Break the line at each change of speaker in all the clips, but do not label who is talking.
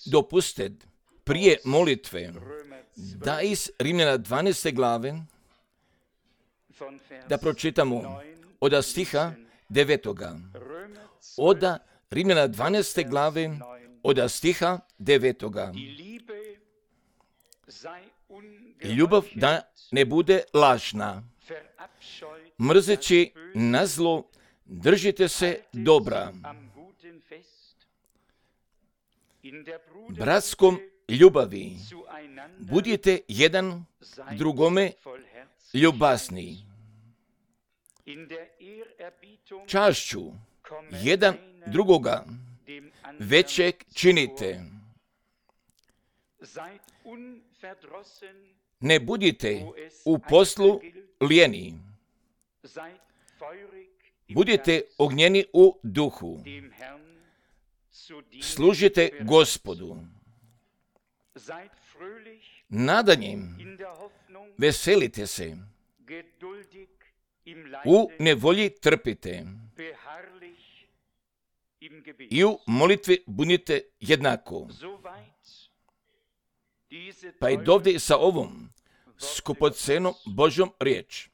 Dopustite prije molitve da iz Rimljana 12. glave da pročitamo od stiha 9. Od Rimljana 12. glave od stiha 9. Ljubav da ne bude lažna. Mrzeći na zlo, držite se dobra. Bratskom ljubavi budite jedan drugome ljubazni. Čašću jedan drugoga većeg činite. Ne budite u poslu lijeni. Budite ognjeni u duhu. Služite Gospodu. Nadanjem veselite se. U nevolji trpite. I u molitvi budite jednako. Pa i dovde sa ovom skupocenom Božjom riječ.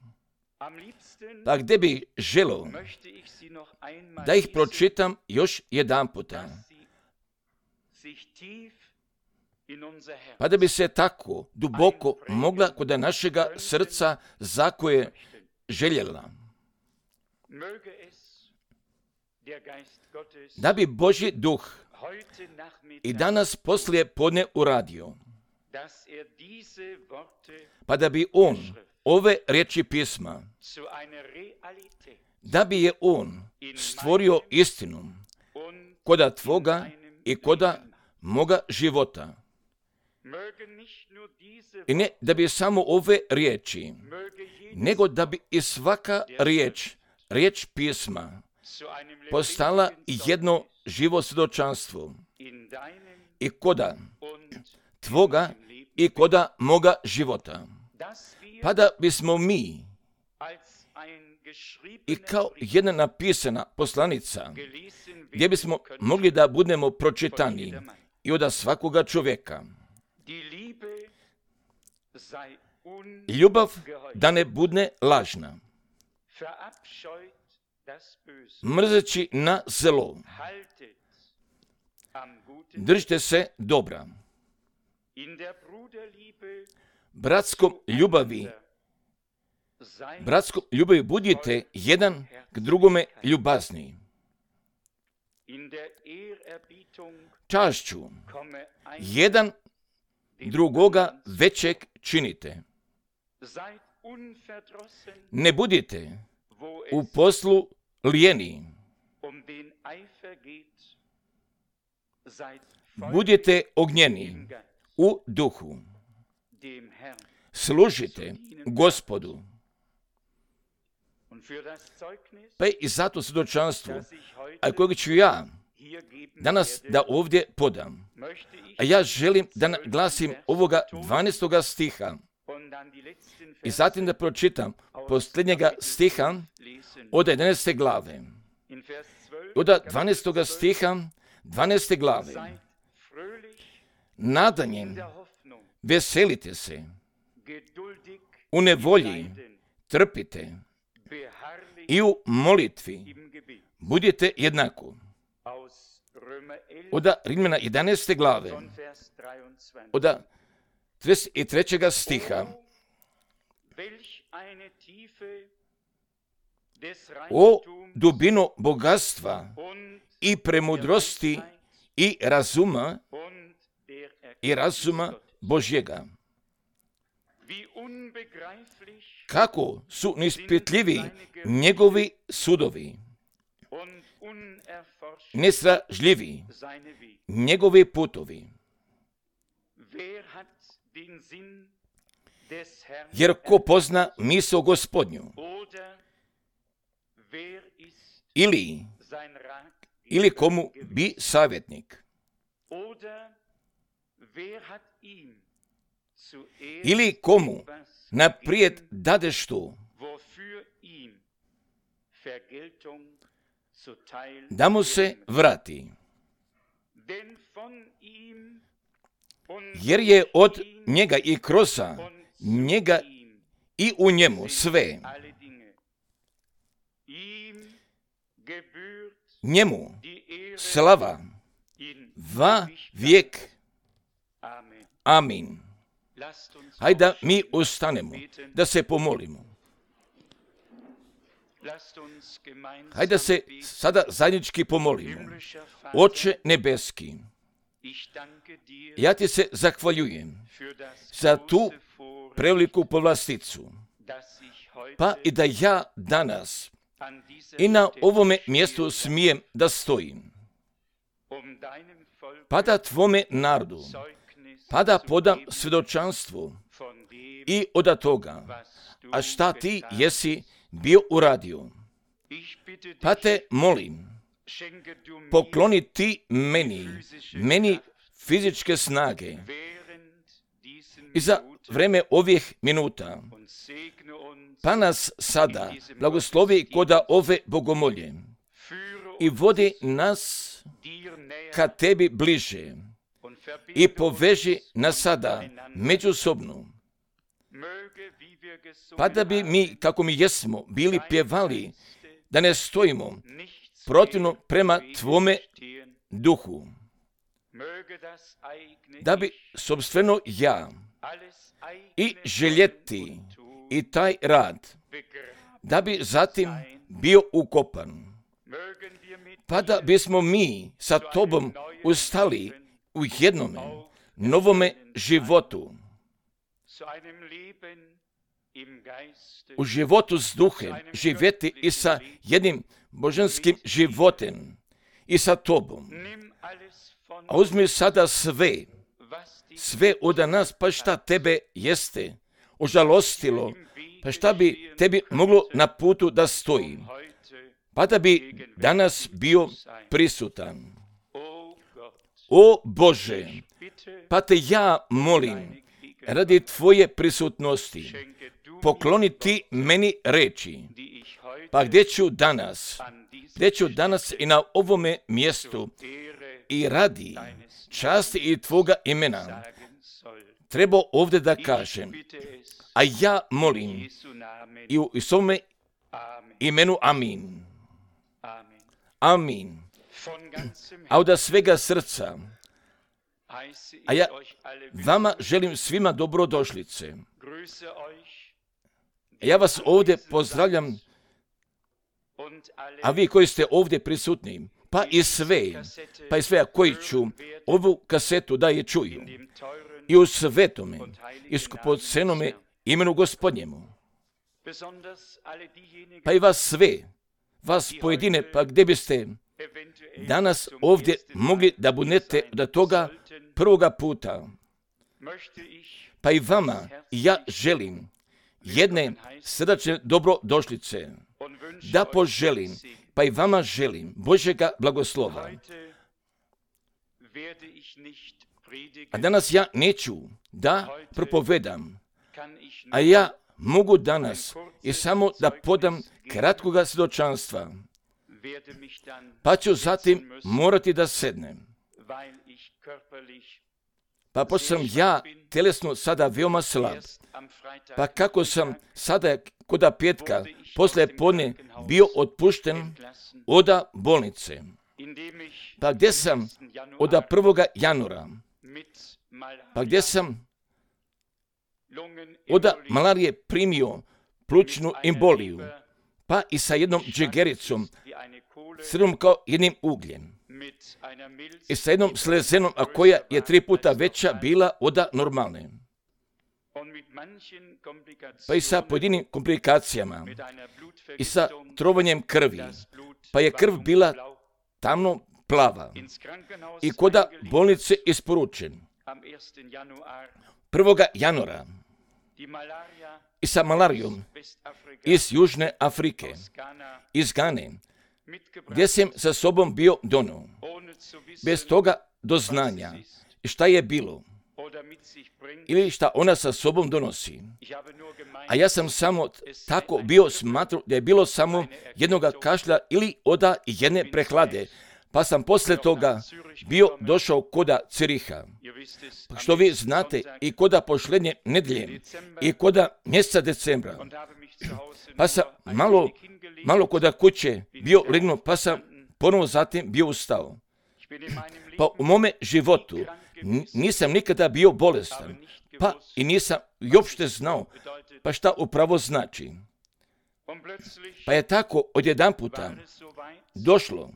Pa gdje bi želio da ih pročitam još jedan puta. Pa da bi se tako duboko mogla kod našega srca zakoje željela. Da bi Božji duh i danas poslije podne uradio. Pa da bi on ove riječi pisma, da bi je on stvorio istinu koda tvoga i koda moga života. I ne da bi samo ove riječi, nego da bi i svaka riječ pisma, postala jedno živo svjedočanstvo i koda tvoga i koda moga života. Pa da bismo mi i kao jedna napisana poslanica, gdje bismo mogli da budemo pročitani i od svakoga čovjeka. Ljubav da ne bude lažna. Mrzeći na zlo. Držite se dobra. Bratskom ljubavi budite jedan k drugome ljubazni. Čašću jedan drugoga većeg činite. Ne budite u poslu lijeni. Budite ognjeni u duhu. Služite Gospodu. Pa i zato svjedočanstvo, a kojeg ću ja danas da ovdje podam. A ja želim da naglasim ovoga 12. stiha i zatim da pročitam posljednjega stiha od 11. glave. Od 12. stiha 12. glave. Nadanjem veselite se, u nevolji trpite i u molitvi budite jednako. Od Rimljana 11. glave, od 33. stiha. O dubino bogatstva i premudrosti i razuma Božjega. Kako su neispitljivi njegovi sudovi, nesražljivi njegovi putovi. Jer ko pozna misao Gospodnju, ili komu bi savjetnik, ili komu naprijed dade što, da mu se vrati. jer je od njega i kroz njega i u njemu sve. Njemu slava va vijek. Amin. Hajde da mi ustanemo, da se pomolimo. Hajde da se sada zajednički pomolimo. Oče nebeski, ja ti se zahvaljujem za tu preveliku povlasticu, pa i da ja danas i na ovome mjestu smijem da stojim, pa da tvome narodu, pa da podam svjedočanstvo i od toga, a šta ti jesi bio uradio. Pa te molim, pokloni ti meni fizičke snage i za vreme ovih minuta, pa nas sada blagoslovi koda ove bogomolje i vodi nas ka tebi bliže i poveži nas sada međusobno, pa da bi mi, kako mi jesmo, bili pjevali, da ne stojimo protivno prema tvome duhu, da bi sobstveno ja i željeti i taj rad, da bi zatim bio ukopan, pa da bismo mi sa tobom ustali u jednome novome životu, u životu s duhem, živjeti i sa jednim božanskim životem i sa tobom. A uzmi sada sve od nas, pa šta tebe jeste ožalostilo, pa šta bi tebi moglo na putu da stoji, pa da bi danas bio prisutan. O Bože, pa te ja molim, radi tvoje prisutnosti, pokloni ti meni reči, pa gdje ću danas i na ovome mjestu i radi časti i tvoga imena treba ovdje da kažem, a ja molim i u svome imenu amin. Amin. A od svega srca, a ja vama želim svima dobrodošlice. Ja vas ovdje pozdravljam, a vi koji ste ovdje prisutni, pa i sve koji ću ovu kasetu da je čuju, i u svetome, i skupocenome imenu Gospodnjemu, pa i vas sve, vas pojedine, pa gdje biste danas ovdje mogli da budete do toga prvoga puta, pa i vama ja želim jedne srdačne dobrodošlice, da poželim, pa i vama želim Božjega blagoslova. A danas ja neću da propovedam, a ja mogu danas i samo da podam kratkoga svjedočanstva, pa ću zatim morati da sednem. Pa pošto sam ja telesno sada veoma slab, pa kako sam sada koda petka poslije podne bio otpušten od bolnice, pa gdje sam od 1. januara, pa gdje sam od malarije primio plućnu emboliju, pa i sa jednom džegericom, crnom kao jednim ugljem, i sa jednom slezenom, a koja je 3 puta veća bila od normalne, pa i sa pojedinim komplikacijama, i sa trovanjem krvi, pa je krv bila tamno plava, i koda bolnice isporučen 1. januara, i sa malarijom iz Južne Afrike, iz Gane, gdje sam sa sobom bio donio, bez toga doznanja šta je bilo ili šta ona sa sobom donosi. A ja sam samo tako bio smatrao da je bilo samo jednoga kašlja ili od jedne prehlade, pa sam poslije toga došao koda Ciriha. Što vi znate, i koda pošlednje nedjelje, i koda mjeseca decembra. Pa sam malo koda kuće bio legnuo, pa sam ponovo zatim bio ustao. Pa u mome životu nisam nikada bio bolestan, pa i nisam i uopšte znao, pa šta upravo znači. Pa je tako odjedanputa došlo,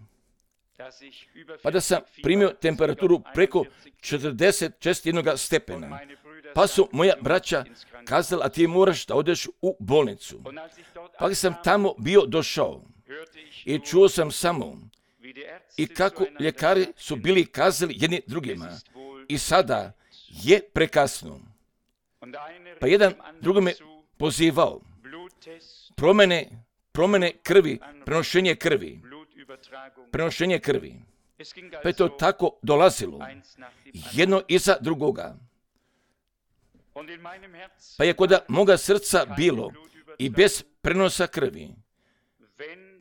pa da sam primio temperaturu preko 41 stepena. Pa su moja braća kazala, a ti moraš da odeš u bolnicu. Pa sam tamo bio došao i čuo sam samo i kako ljekari su bili kazali jedni drugima. I sada je prekasno. Pa jedan drugome pozivao promjene krvi, prenošenje krvi. Pa je to tako dolazilo, jedno iza drugoga. Pa je kod moga srca bilo i bez prenosa krvi.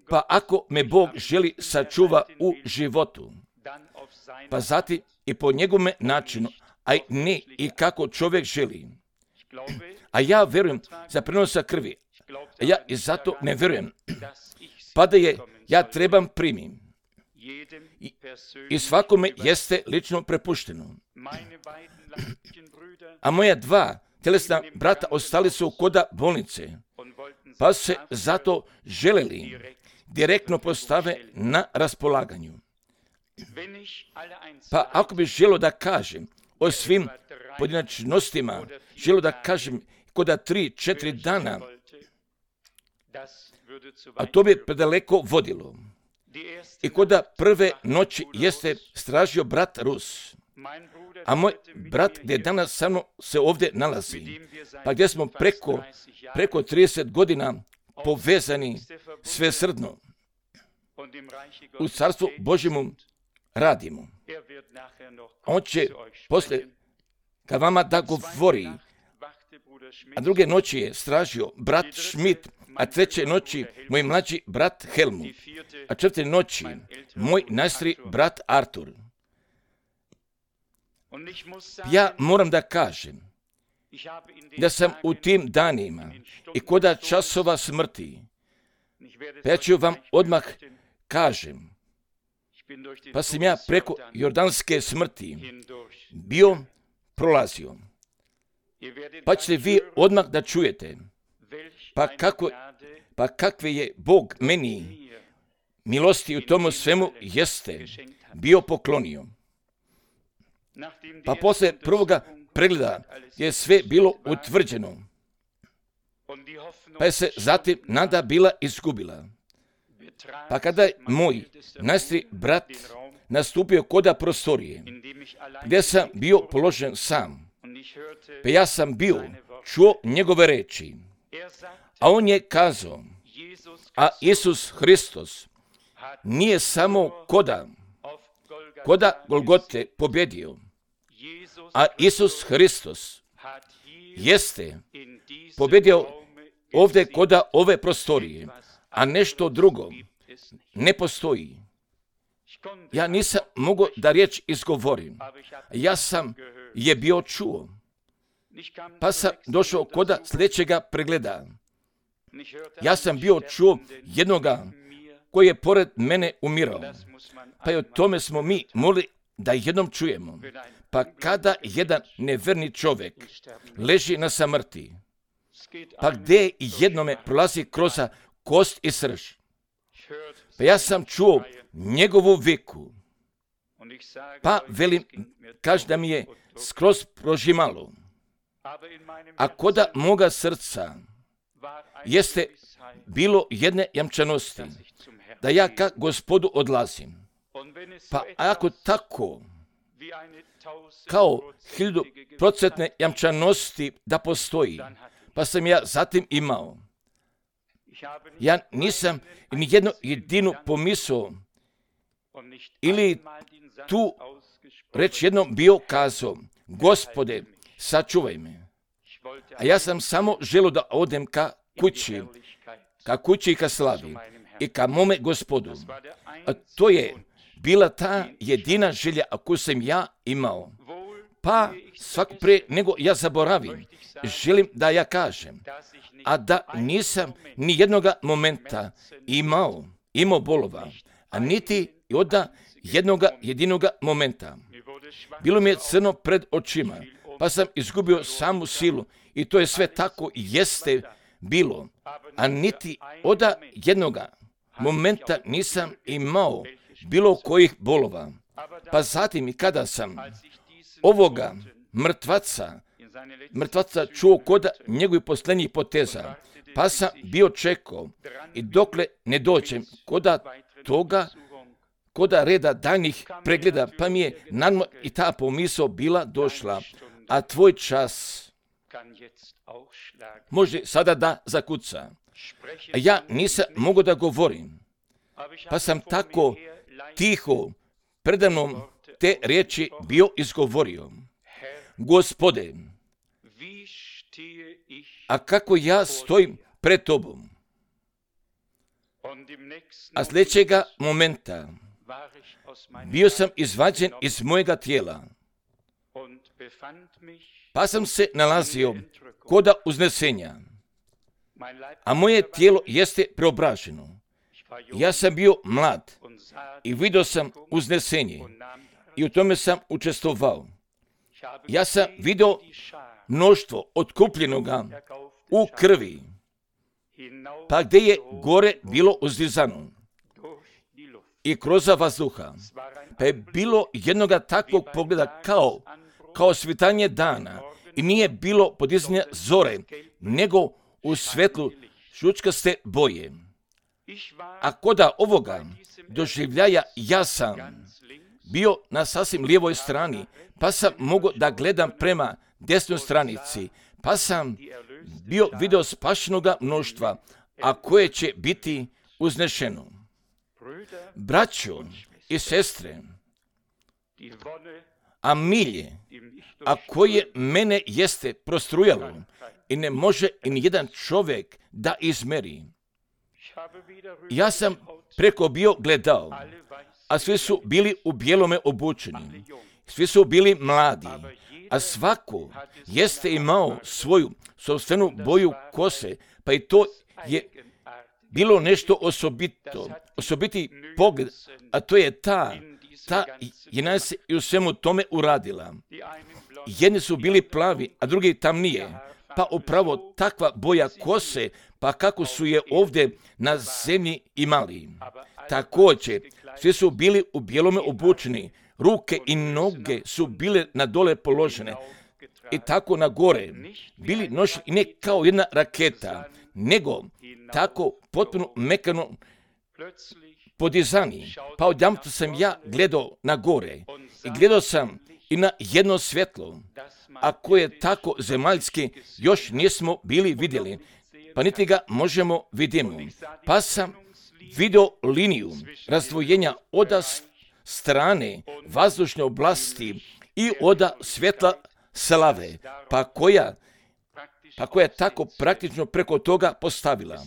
Pa ako me Bog želi sačuva u životu, pa zatim i po njegovome načinu, a ne i kako čovjek želi. A ja vjerujem za prenosa krvi. A ja i zato ne vjerujem. Pa da je ja trebam primim. I svakome jeste lično prepušteno. A moja dva tjelesna brata ostali su koda bolnice. Pa se zato želeli direktno postave na raspolaganju. Pa ako bi želio da kažem o svim pojedinačnostima, želio da kažem koda 3-4 dana, a to bi predaleko vodilo. I koda prve noći jeste stražio brat Rus, a moj brat gdje danas sa mnom se ovdje nalazi, pa gdje smo preko 30 godina povezani svesrdno u Carstvu Božjemu radimo. On će poslije ka vama da govori, a druge noći je stražio brat Schmidt, a treće noći moj mlađi brat Helmut, a četvrte noći moj najstariji brat Artur. Ja moram da kažem da sam u tim danima i koda časova smrti, pa ja ću vam odmah kažem, pa sam ja preko jordanske smrti bio prolazio. Pa ćete vi odmah da čujete, pa kakve je Bog meni milosti u tomu svemu jeste bio poklonio. Pa poslije prvoga pregleda je sve bilo utvrđeno, pa je se zatim nada bila izgubila. Pa kada je moj najstariji brat nastupio koda prostorije, gdje sam bio položen sam, pa ja sam bio čuo njegove reči, a on je kazao, a Isus Hristos nije samo koda Golgote pobjedio, a Isus Hristos jeste pobjedio ovdje koda ove prostorije, a nešto drugo ne postoji. Ja nisam mogao da riječ izgovorim. Ja sam je bio čuo. Pa sam došao koda sljedećega pregleda. Ja sam bio čuo jednoga koji je pored mene umirao. Pa i o tome smo mi mogli da jednom čujemo. Pa kada jedan neverni čovjek leži na samrti, pa gdje jednome prolazi kroz kost i srž. Pa ja sam čuo njegovu viku. Pa velim, kaže da mi je skroz prožimalo. A koda moga srca jeste bilo jedne jamčanosti, da ja ka Gospodu odlazim. Pa ako tako, kao 1000% jamčanosti da postoji, pa sam ja zatim imao. Ja nisam ni jednu jedinu pomisao ili tu reč jednom bio kazao, Gospode, sačuvaj me. A ja sam samo želio da odem ka kući i ka slavi i ka mome Gospodu. A to je bila ta jedina želja koju sam ja imao. Pa svako prije nego ja zaboravim, želim da ja kažem, a da nisam ni jednoga momenta imao bolova, a niti od jednoga jedinoga momenta. Bilo mi je crno pred očima, pa sam izgubio samu silu i to je sve tako jeste bilo, a niti od jednoga momenta nisam imao bilo kojih bolova. Pa zatim i kada sam ovoga mrtvaca čuo kod njegovih posljednjih poteza, pa sam bio čekao i dokle ne dođem kod reda daljnjih pregleda, pa mi je naravno i ta pomisao bila došla, a tvoj čas može sada da zakuca. A ja nisam mogao da govorim, pa sam tako tiho predamnom te riječi bio izgovorio. Gospode, a kako ja stojim pred tobom? A sljedećega momenta bio sam izvađen iz mojega tijela, pa sam se nalazio koda uznesenja, a moje tijelo jeste preobraženo. Ja sam bio mlad i vidio sam uznesenje i u tome sam učestvovao. Ja sam vidio mnoštvo otkupljenoga u krvi, pa gdje je gore bilo uzdizano i kroz vazduha, pa je bilo jednoga takvog pogleda kao svitanje dana i nije bilo podizanja zore, nego u svetlu žučkaste boje. A koda ovoga doživljaja ja sam bio na sasvim lijevoj strani, pa sam mogao da gledam prema desnoj stranici, pa sam bio video spašenoga mnoštva, a koje će biti uznešeno. Braćo i sestre, a milje, a koje mene jeste prostrujalo i ne može i nijedan čovjek da izmeri. Ja sam preko bio gledao, a svi su bili u bijelome obučeni, svi su bili mladi, a svako jeste imao svoju sopstvenu boju kose, pa i to je bilo nešto osobiti pogled, a to je ta je nas i u svemu tome uradila. Jedni su bili plavi, a drugi tamnije, pa upravo takva boja kose, pa kako su je ovdje na zemlji imali. Također, svi su bili u bijelome obučeni, ruke i noge su bile na dole položene i tako na gore bili nošeni ne kao jedna raketa, nego tako potpuno mekano podizani. Pa odjedanput sam ja gledao na gore i gledao sam i na jedno svjetlo, a koje tako zemaljski još nismo bili vidjeli, pa niti ga možemo vidjeti. Pa sam vidio liniju razdvojenja od strane vazdušne oblasti i od svjetla slave, pa koja je tako praktično preko toga postavila.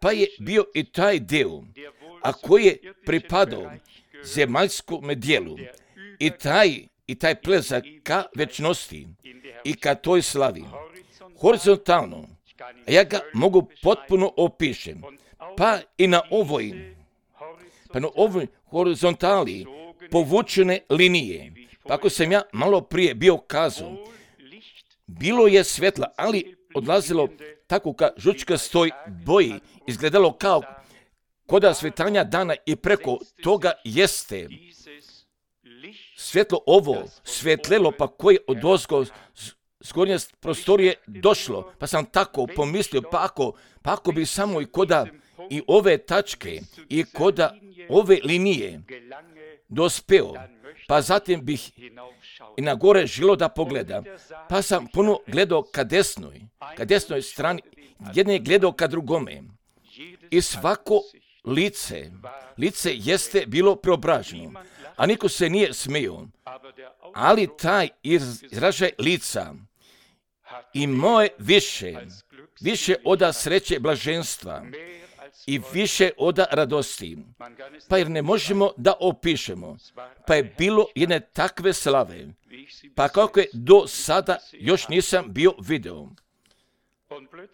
Pa je bio i taj dio, a koji je pripadao zemaljskom dijelu i taj plezak ka večnosti i ka toj slavi. Horizontalno, ja ga mogu potpuno opišem, pa i na ovoj horizontali povučene linije. Pa ako sam ja malo prije bio kazao, bilo je svetla, ali odlazilo tako ka žučkastoj boji, izgledalo kao koda svitanja dana i preko toga jeste svjetlo ovo svetlelo, pa koje od ozgo s gornje prostorije došlo, pa sam tako pomislio, pa ako bi samo i koda i ove tačke i koda ove linije dospeo, pa zatim bih i na gore žilo da pogleda, pa sam puno gledao ka desnoj strani, jedne je gledao ka drugome i svako lice jeste bilo preobraženo, a niko se nije smio, ali taj izražaj lica imao je više od sreće blaženstva i više od radosti. Pa jer ne možemo da opišemo. Pa je bilo jedne takve slave. Pa kako je do sada još nisam bio video.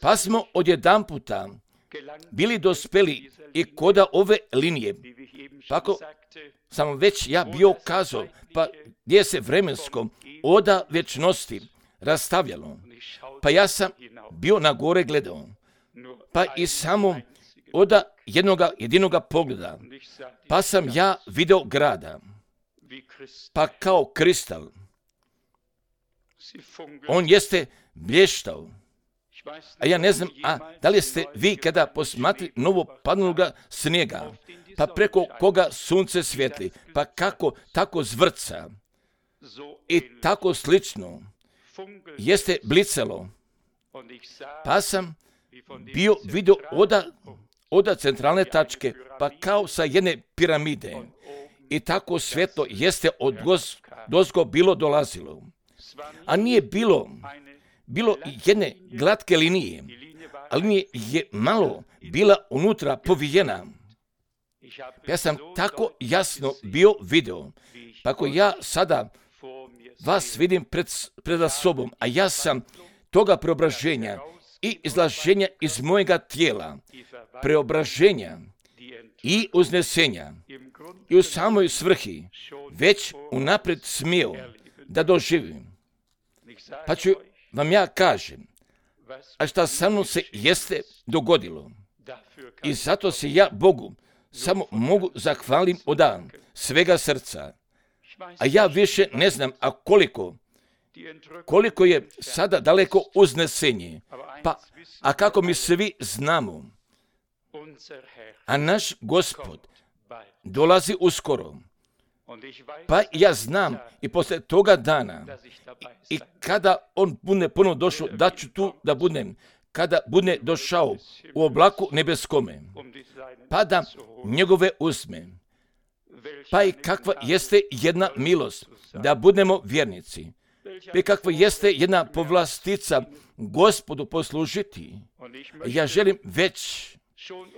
Pa smo odjedanputa bili dospeli i koda ove linije. Pa ako sam već ja bio kazao, pa gdje se vremensko oda vječnosti rastavljalo. Pa ja sam bio na gore gledao. Pa i samo oda jedinoga pogleda. Pa sam ja video grada. Pa kao kristal. On jeste blještao. A ja ne znam, da li ste vi kada posmatri novo padnuloga snijega, pa preko koga sunce svijetli, pa kako tako zvrca i tako slično jeste blicalo. Pa sam bio vidio oda centralne tačke, pa kao sa jedne piramide. I tako svjetlo jeste od dozgo bilo dolazilo. A nije bilo jedne glatke linije, a linija je malo bila unutra povijena. Ja sam tako jasno bio video, pa ako ja sada vas vidim pred sobom, a ja sam toga preobraženja i izlaženja iz mojega tijela, preobraženja i uznesenja i u samoj svrhi već unaprijed smio da doživim. Pa ću vam ja kažem, a šta sa mnom se jeste dogodilo. I zato se ja Bogu samo mogu zahvalim od svega srca. A ja više ne znam, koliko je sada daleko uznesenje. A kako mi svi znamo, a naš Gospod dolazi uskoro. Pa ja znam i poslije toga dana i kada on bude ponovno došao, da ću tu da budem, kada bude došao u oblaku nebeskome, pa da njegove uzme. Pa i kakva jeste jedna milost da budemo vjernici. Pa i kakva jeste jedna povlastica Gospodu poslužiti. Ja želim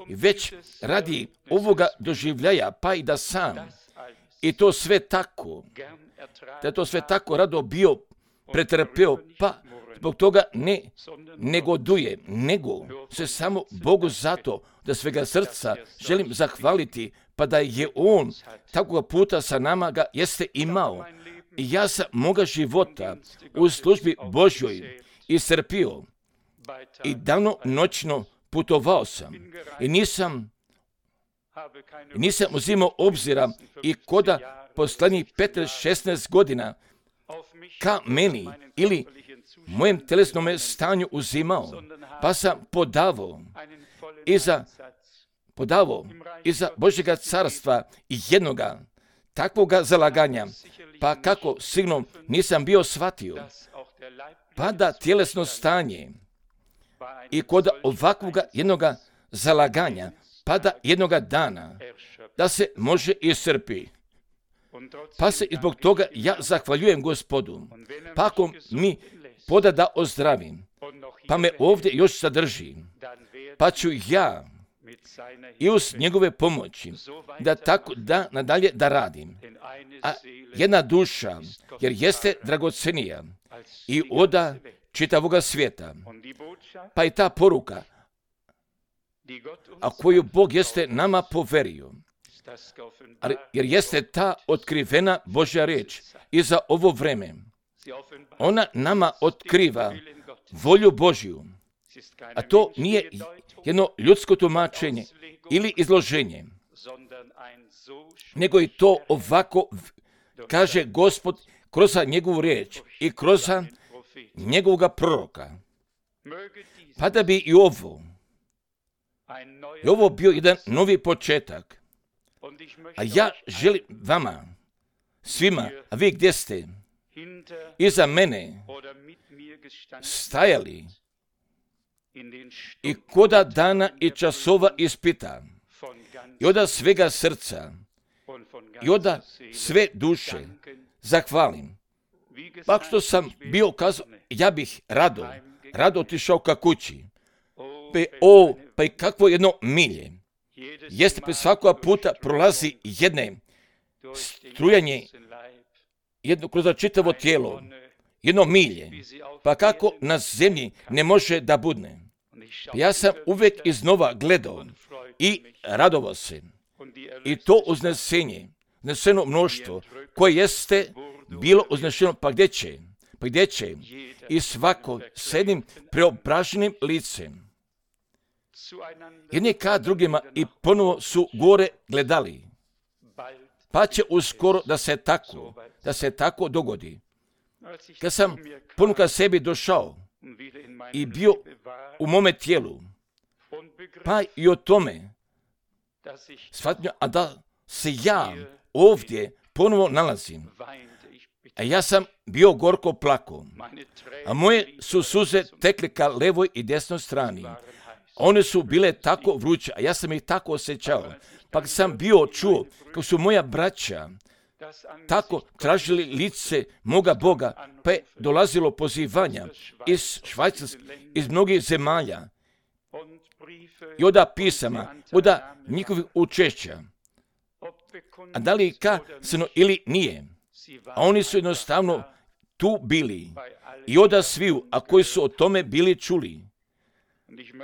već radi ovoga doživljaja, pa i da sam i to sve tako, da to sve tako rado bio pretrpeo, pa zbog toga ne negoduje, nego se samo Bogu zato da svega srca želim zahvaliti, pa da je On takvog puta sa nama ga jeste imao. I ja sam moga života u službi Božjoj iscrpio i dano noćno putovao sam i nisam uzimao obzira i koda poslanjih 15-16 godina ka meni ili mojem telesnom stanju uzimao, pa sam podavao iza Božjega carstva i jednoga takvoga zalaganja, pa kako sigurno nisam bio shvatio, pa da tjelesno stanje i kod ovakvoga jednoga zalaganja, pa da jednoga dana da se može iscrpi. Pa se i zbog toga ja zahvaljujem Gospodu. Pa ako mi poda da ozdravim, pa me ovdje još sadrži, pa ću ja i uz njegove pomoći da tako da nadalje da radim. A jedna duša, jer jeste dragocenija i oda čitavoga svijeta, pa i ta poruka, a koju Bog jeste nama poverio, jer jeste ta otkrivena Božja riječ i za ovo vreme. Ona nama otkriva volju Božju, a to nije jedno ljudsko tumačenje ili izloženje, nego i to ovako kaže Gospod kroz njegovu riječ i kroz njegovoga proroka. Pa da bi i ovo bio jedan novi početak. A ja želim vama, svima, a vi gdje ste, iza mene stajali i koda dana i časova ispita, i oda svega srca, i oda sve duše zahvalim. Pa što sam bio kazao, ja bih rado otišao ka kući. pa i kakvo jedno milje. Jeste pa svakoga puta prolazi jedne strujanje, jedno kroz čitavo tijelo, jedno milje. Pa kako na zemlji ne može da budne? Ja sam uvijek iznova gledao i radovao se. I to uzneseno mnoštvo koje jeste bilo uznešeno, pa gdje će? I svako s jednim preobraženim licem. Jedni ka drugima i ponovo su gore gledali. Pa će uskoro da se tako dogodi. Kad sam ponuka sebi došao i bio u mome tijelu, pa i o tome shvatio, a da se ja ovdje ponovo nalazim. A ja sam bio gorko plako, a moje su suze tekle ka levoj i desnoj strani. One su bile tako vruće, a ja sam ih tako osjećao. Pa sam bio čuo kako su moja braća tako tražili lice moga Boga, pa je dolazilo pozivanja iz Švajcarske, iz mnogih zemalja i od pisama, od njihovih učešća. A da li kasno ili nije? A oni su jednostavno tu bili i od sviju, a koji su o tome bili čuli.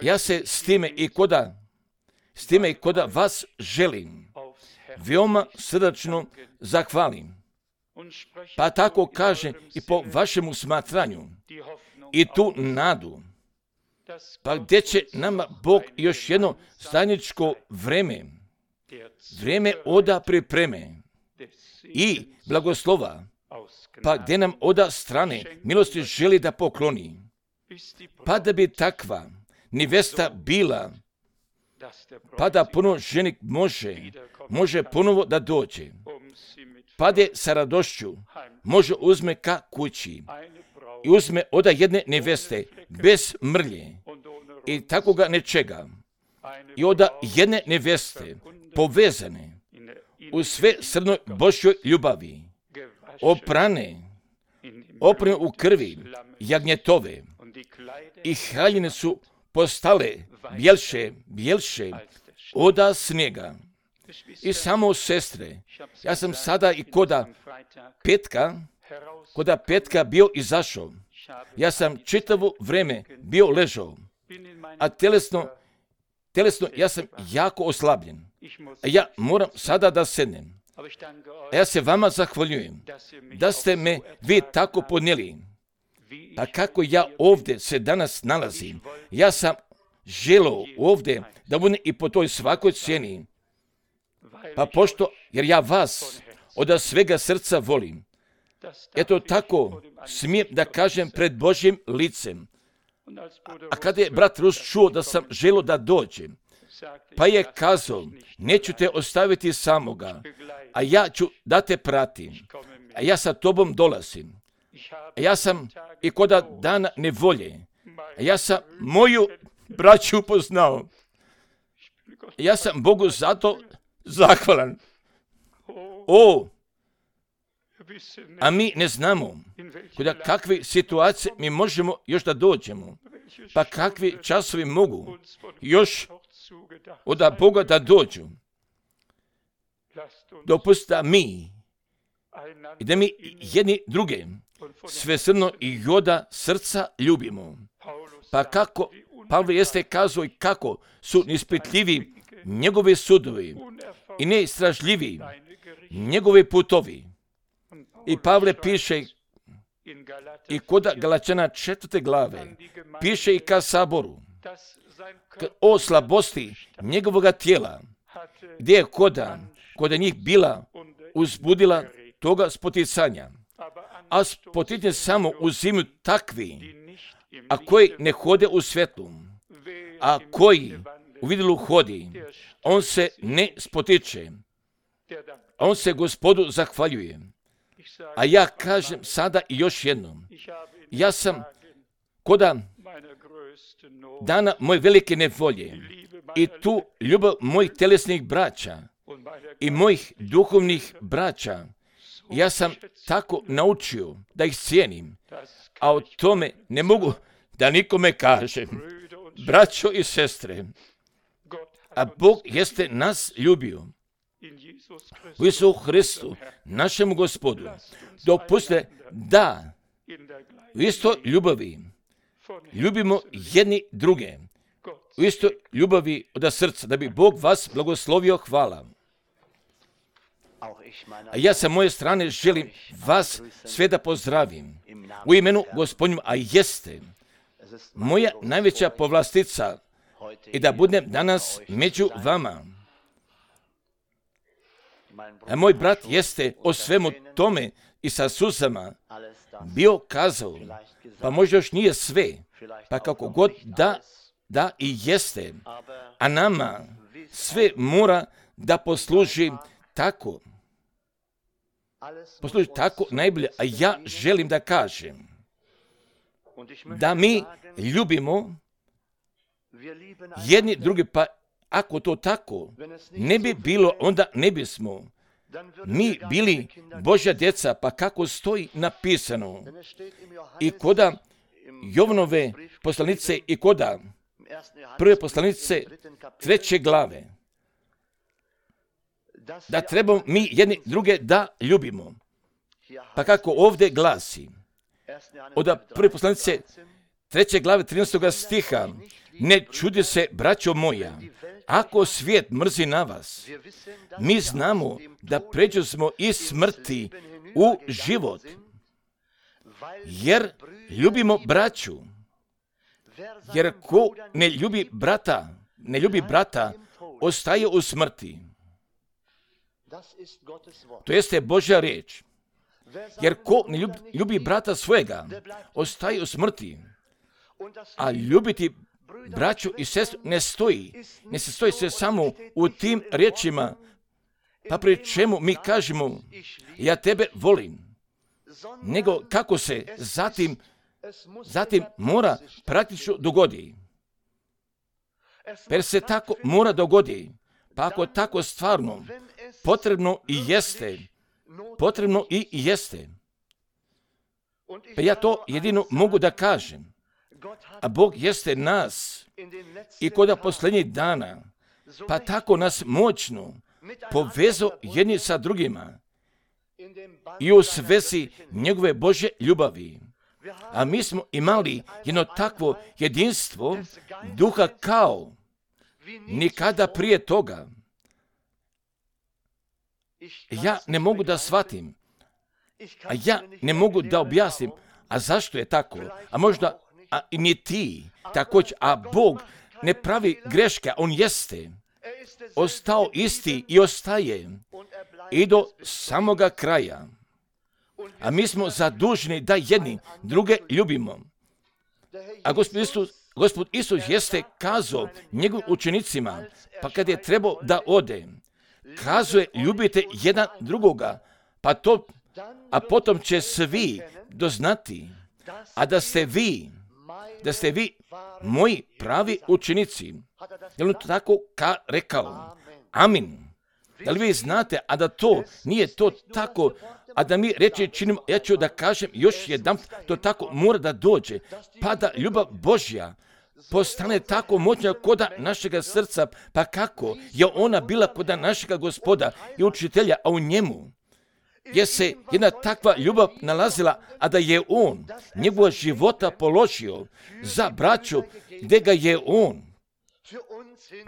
Ja se s time i koda vas želim veoma srdačno zahvalim. Pa tako kaže i po vašemu smatranju i tu nadu. Pa gdje će nama Bog još jedno zajedničko vreme oda pripreme i blagoslova, pa gdje nam oda strane milosti želi da pokloni. Pa da bi takva nevesta bila, pa da ponovo ženik može ponovo da dođe. Pa da sa radošću može uzme ka kući i uzme oda jedne neveste bez mrlje i takoga nečega. I oda jedne neveste povezane u sve srnoj Božjoj ljubavi, oprane u krvi jagnjetove i haljine su postale bjelše oda snijega. I samo sestre, ja sam sada i koda petka bio izašao. Ja sam čitavo vreme bio ležao, a telesno ja sam jako oslabljen. A ja moram sada da sednem. A ja se vama zahvaljujem da ste me vi tako podnijeli. Pa kako ja ovdje se danas nalazim, ja sam želio ovdje da budem i po toj svakoj cijeni. Pa jer ja vas od svega srca volim. Eto tako smijem da kažem pred Božjim licem. A kada je brat Rus čuo da sam želio da dođem, pa je kazao, neću te ostaviti samoga, a ja ću da te pratim, a ja sa tobom dolazim. A ja sam i koda dana nevolje, a ja sam moju braću upoznao. Ja sam Bogu zato zahvalan. A mi ne znamo kuda kakve situacije mi možemo još da dođemo, pa kakvi časovi mogu još od Boga da dođu. Dopustite i da mi jedni druge svesrdno i joda srca ljubimo. Pa kako Pavle jeste kazao i kako su neispitljivi njegovi sudovi i neistražljivi njegovi putovi. I Pavle piše i kod Galačana 4. glave, piše i ka saboru o slabosti njegovoga tijela, gdje je kod njih bila uzbudila toga spoticanja. A spoticanje samo uzimaju takvi, a koji ne hode u svetlu, a koji u vidilu hodi, on se ne spotiče, on se Gospodu zahvaljuje. A ja kažem sada i još jednom, ja sam koda dana moje velike nevolje i tu ljubav mojih telesnih braća i mojih duhovnih braća, ja sam tako naučio da ih cijenim, a o tome ne mogu da nikome kažem. braćo i sestre, a Bog jeste nas ljubio u Isusu Hristu, našemu Gospodu. Dopustite da u istoj ljubavi ljubimo jedni druge, u istoj ljubavi od srca, da bi Bog vas blagoslovio. Hvala. A ja sa moje strane želim vas sve da pozdravim u imenu Gospodnjem, a jeste moja najveća povlastica i da budem danas među vama. A moj brat jeste o svemu tome i sa suzama bio kazao, pa možda još nije sve, pa kako god da i jeste, a nama sve mora da posluži tako najbolje. A ja želim da kažem da mi ljubimo jedni drugi, pa ako to tako ne bi bilo, onda ne bismo mi bili Božja djeca, pa kako stoji napisano i koda Jovanove poslanice i koda prve poslanice 3. glave, da trebamo mi jedni druge da ljubimo. Pa kako ovdje glasi, od prve poslanice 3. glave 13. stiha, ne čudi se, braćo moja, ako svijet mrzi na vas, mi znamo da pređu smo iz smrti u život, jer ljubimo braću. Jer ko ne ljubi brata, ostaje u smrti. To jeste Božja riječ. Jer ko ne ljubi brata svojega, ostaje u smrti. A ljubiti braću i sestru ne se stoji se samo u tim riječima, pa pri čemu mi kažemo ja tebe volim, nego kako se zatim mora praktično dogodi. Per se tako mora dogodi, pa ako tako stvarno potrebno i jeste. Pa ja to jedino mogu da kažem. A Bog jeste nas i kod posljednjih dana, pa tako nas moćno povezao jedni sa drugima i u svezi njegove Božje ljubavi. A mi smo imali jedno takvo jedinstvo duha kao nikada prije toga. Ja ne mogu da shvatim, a ja ne mogu da objasnim, a zašto je tako, a možda i ni ti također, a Bog ne pravi greške, on jeste ostao isti i ostaje i do samoga kraja. A mi smo zaduženi da jedni druge ljubimo. A Gospod Isus jeste kazao njegovim učenicima, pa kad je trebao da ode, kazuje ljubite jedan drugoga, a potom će svi doznati, a da ste vi moji pravi učenici. Je li on tako rekao? Amin. Da li vi znate, a da to nije to tako, a da mi reći činimo, ja ću da kažem još jedan, to tako mora da dođe, pa da ljubav Božja postane tako moćna koda našega srca, pa kako je ona bila koda našega Gospoda i učitelja, a u njemu je se jedna takva ljubav nalazila, a da je on njegova života položio za braću, gdje ga je on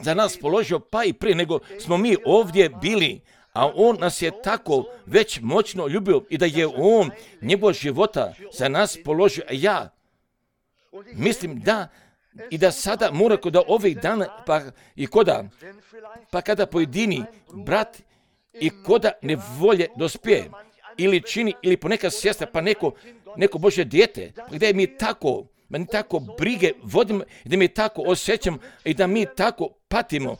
za nas položio, pa i prije nego smo mi ovdje bili, a on nas je tako već moćno ljubio i da je on njegova života za nas položio. A ja mislim da sada mora kod ovih dana, pa kada pojedini brat i koda nevolje dospije, ili čini, ili ponekad sestra, pa neko Božje dijete, gdje mi tako brige vodimo, da mi tako osjećam i da mi tako patimo,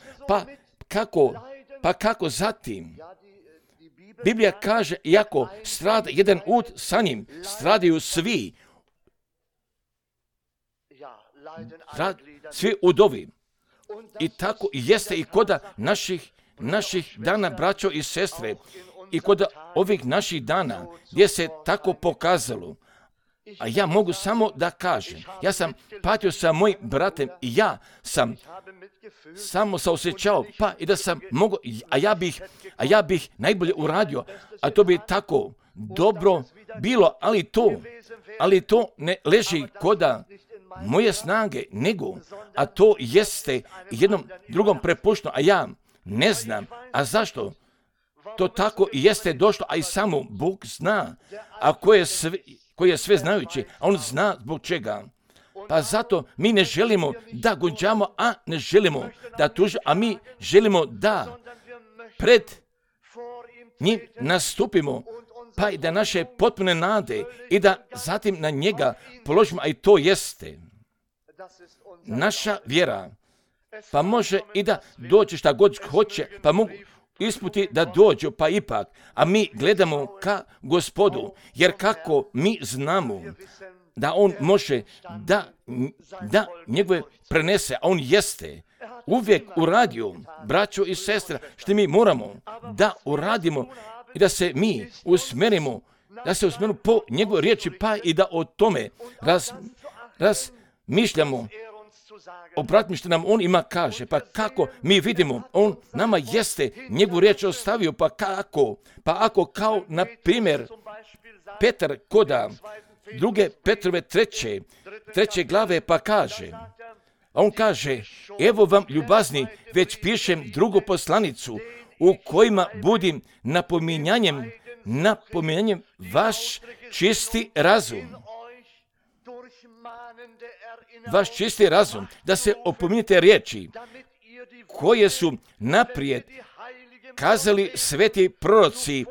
pa kako zatim? Biblija kaže, iako strada jedan ud, sa njim stradaju svi. Svi udovi. I tako jeste i koda naših dana, braćo i sestre, i kod ovih naših dana, gdje se tako pokazalo, A ja mogu samo da kažem, ja sam patio sa mojim bratem i ja sam samo se osjećao, pa i da sam mogu, a ja bih najbolje uradio, a to bi tako dobro bilo, ali to ne leži koda moje snage, nego, a to jeste jednom drugom prepušteno, a ja ne znam, a zašto? To tako i jeste došlo, a i samo Bog zna, a ko je sve znajući, a on zna zbog čega. Pa zato mi ne želimo da gonđamo, a ne želimo da tužimo, a mi želimo da pred njim nastupimo, pa i da naše potpune nade i da zatim na njega položimo, a i to jeste naša vjera. Pa može i da dođe šta god hoće, pa mogu isputi da dođu, pa ipak, a mi gledamo ka Gospodu, jer kako mi znamo da on može da njegove prenese, a on jeste uvijek uradio, braćo i sestre, što mi moramo da uradimo i da se mi usmerimo po njegove riječi, pa i da o tome razmišljamo. Obratimo što nam on ima kaže, pa kako mi vidimo, on nama jeste njegovu riječ ostavio, pa ako kao na primjer Petar koda druge Petrove treće glave pa kaže, a on kaže, evo vam ljubazni, već pišem drugu poslanicu u kojima budim napominjanjem vaš čisti razum, da se opominjete riječi koje su naprijed kazali sveti proroci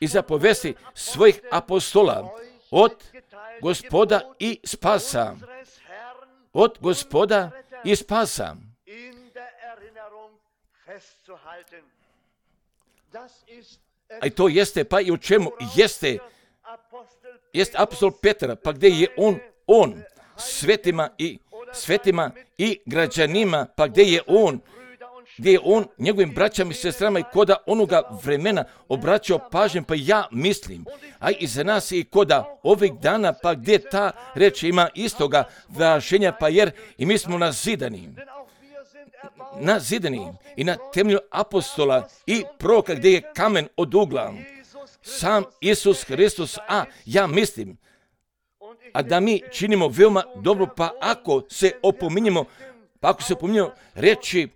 i zapovijesti svojih apostola od Gospoda i spasa. A to jeste, pa i u čemu jeste apostol Petar, pa gdje je on svetima i građanima, pa gdje je on njegovim braćama i sestrama i koda onoga vremena obraćao pažnju, pa ja mislim, a i za nas i koda ovih dana, pa gdje ta reč ima istoga važenja, pa jer i mi smo nazidani i na temelju apostola i proroka gdje je kamen od ugla, sam Isus Hristos, a ja mislim, a da mi činimo veoma dobro, pa ako se opominjemo reći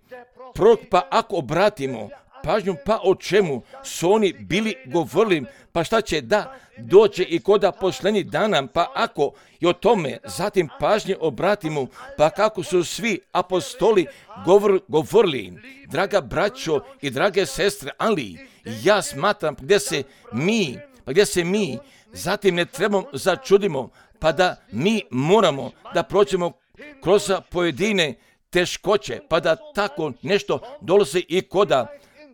prorok, pa ako obratimo pažnju, pa o čemu su oni bili govorili, pa šta će da dođe i koda posljednjih dana, pa ako i o tome zatim pažnje obratimo, pa kako su svi apostoli govorili, draga braćo i drage sestre, ali ja smatram gdje se mi zatim ne trebamo začudimo, pa da mi moramo da prođemo kroz pojedine teškoće, pa da tako nešto dolazi i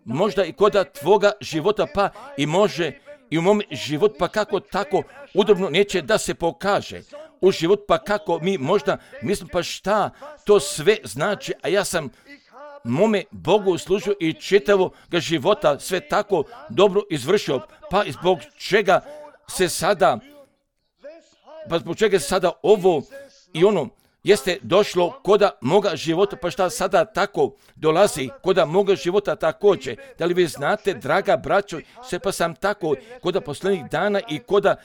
možda i koda tvoga života, pa i može i u mom životu, pa kako tako udobno neće da se pokaže u život, pa kako mi možda mislim, pa šta to sve znači, a ja sam mome Bogu služio i čitavog života sve tako dobro izvršio, pa zbog čega se sada ovo i ono jeste došlo koda moga života, pa šta sada tako dolazi koda moga života također. Da li vi znate, draga braćo, sve pa sam tako koda posljednjih dana i koda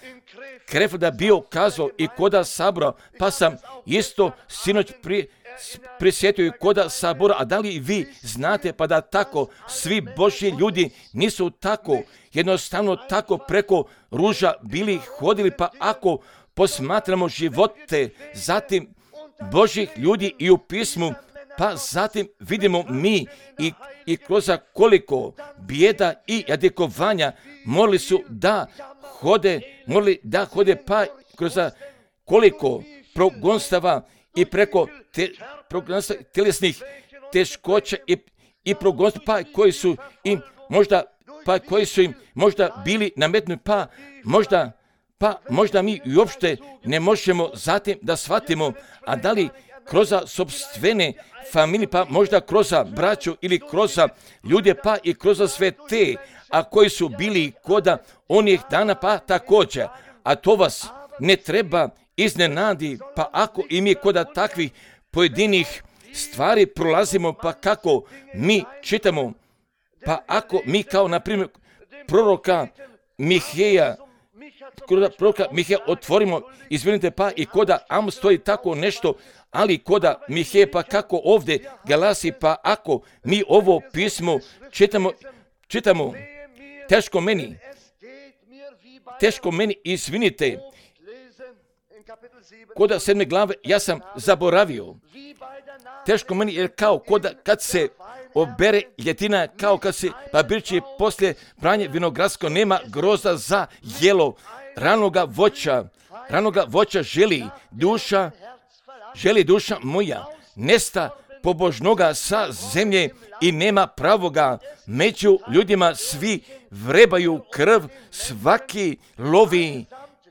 Krefeld bio kazao i koda sabora, pa sam isto sinoć prisjetio i koda sabora, a da li vi znate pa da tako svi Božji ljudi nisu tako jednostavno tako preko ruža bili hodili, pa ako posmatramo živote zatim Božjih ljudi i u pismu, pa zatim vidimo mi i kroz koliko bijeda i jadikovanja morali da hode, pa kroz koliko progonstava i preko tjelesnih teškoća i progonstva, koji su im možda bili nametnuti, pa možda mi uopšte ne možemo zatim da shvatimo, a da li kroz sopstvene familije, pa možda kroz braću ili kroz ljude, pa i kroz sve te, a koji su bili koda onih dana pa također. A to vas ne treba iznenadi, pa ako i mi koda takvih pojedinih stvari prolazimo, pa kako mi čitamo, pa ako mi kao na primjer proroka Miheja otvorimo, izvinite, pa i koda Amos stoji tako nešto, ali koda Miheja, pa kako ovdje glasi, pa ako mi ovo pismo čitamo, teško meni, izvinite, koda 7. glave, ja sam zaboravio, teško meni, jer kao koda kad se obere ljetina, kao kad se papirči poslije branje vinogradsko, nema groza za jelo, ranoga voća želi duša moja, nesta pobožnoga sa zemlje i nema pravoga, među ljudima svi vrebaju krv,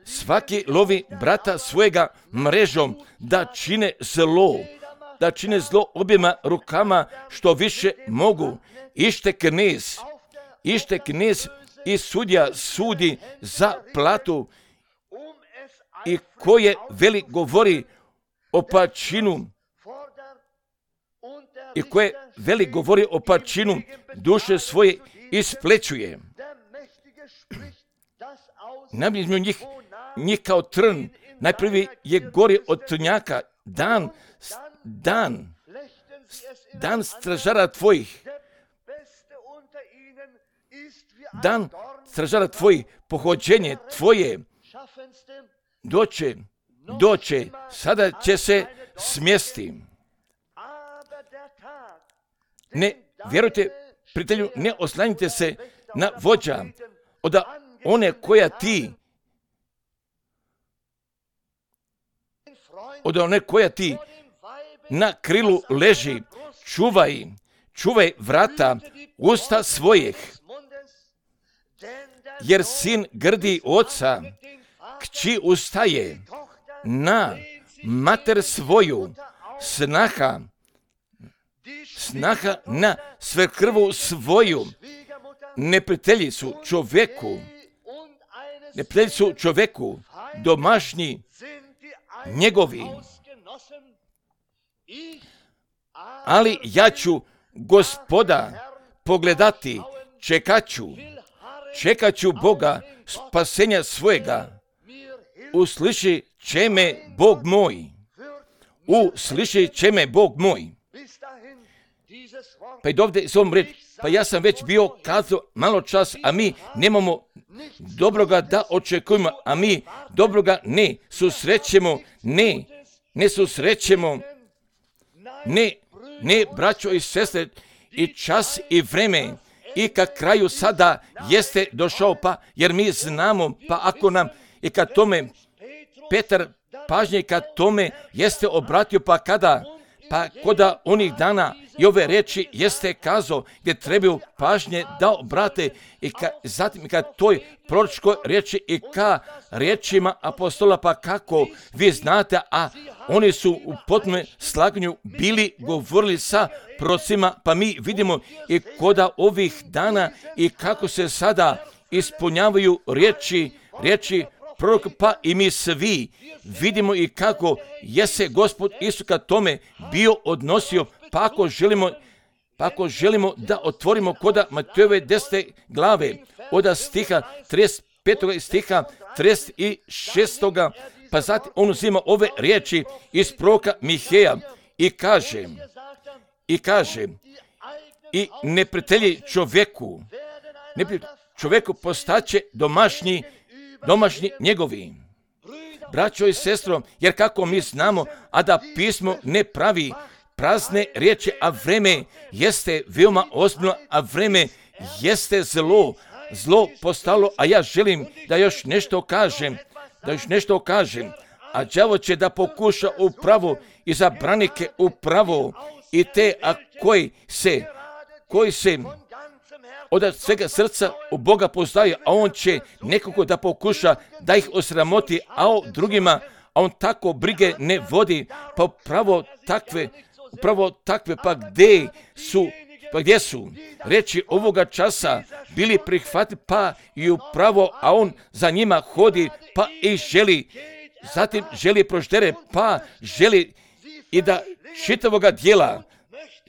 svaki lovi brata svojega mrežom, da čine zlo objema rukama što više mogu. Ište knez i sudja sudi za platu, i koje veli govori o pačinu, duše svoje isplećuje. Najbližnju njih kao trn, najprvi je gori od trnjaka, dan stražara tvojih, dan stražara tvojih, pohođenje tvoje, doće, sada će se smjesti. Ne, vjerujte, prijatelju, ne oslanjite se na vođa, od one koja ti na krilu leži, čuvaj vrata usta svojih, jer sin grdi oca, kći ustaje na mater svoju, snaha na svekrvu svoju. Neprijatelji su čoveku domašnji njegovi. Ali ja ću Gospoda pogledati, čekat ću Boga spasenja svojega. Usliši će me Bog moj. Pa i dovde s ovom reći, pa ja sam već bio kazao malo čas, a mi nemamo dobroga da očekujemo, a mi dobroga ne susrećemo, ne, braćo i sestre, i čas i vreme, i ka kraju sada jeste došao, pa jer mi znamo, pa ako nam i kad tome Petar pažnje kad tome jeste obratio, pa koda onih dana i ove reči jeste kazao gdje trebaju pažnje da obrate, i zatim kad toj proročkoj riječi i ka riječima apostola, pa kako vi znate, a oni su u potpunom slaganju bili govorili sa prorocima, pa mi vidimo i koda ovih dana i kako se sada ispunjavaju riječi proroka, pa i mi svi vidimo i kako je se Gospod Isus ka tome bio odnosio, pa ako želimo da otvorimo koda Matejove 10. glave, od stiha 35. stiha 36. pa zatim on uzima ove riječi iz proroka Miheja i kaže i neprijatelji čovjeku postaće domašnji njegovi. Braćo i sestro, jer kako mi znamo, a da pismo ne pravi prazne riječi, a vreme jeste veoma ozbiljno, a vreme jeste zlo postalo, a ja želim da još nešto kažem, a đavo će da pokuša upravo i za branike upravo i te, a koji se od svega srca u Boga poznaju, a on će nekako da pokuša da ih osramoti, a o drugima, a on tako brige ne vodi, pa upravo takve, pa gdje su Pa gdje su reči ovoga časa bili prihvatili, pa i upravo, a on za njima hodi, pa i želi, zatim želi proždere, pa želi i da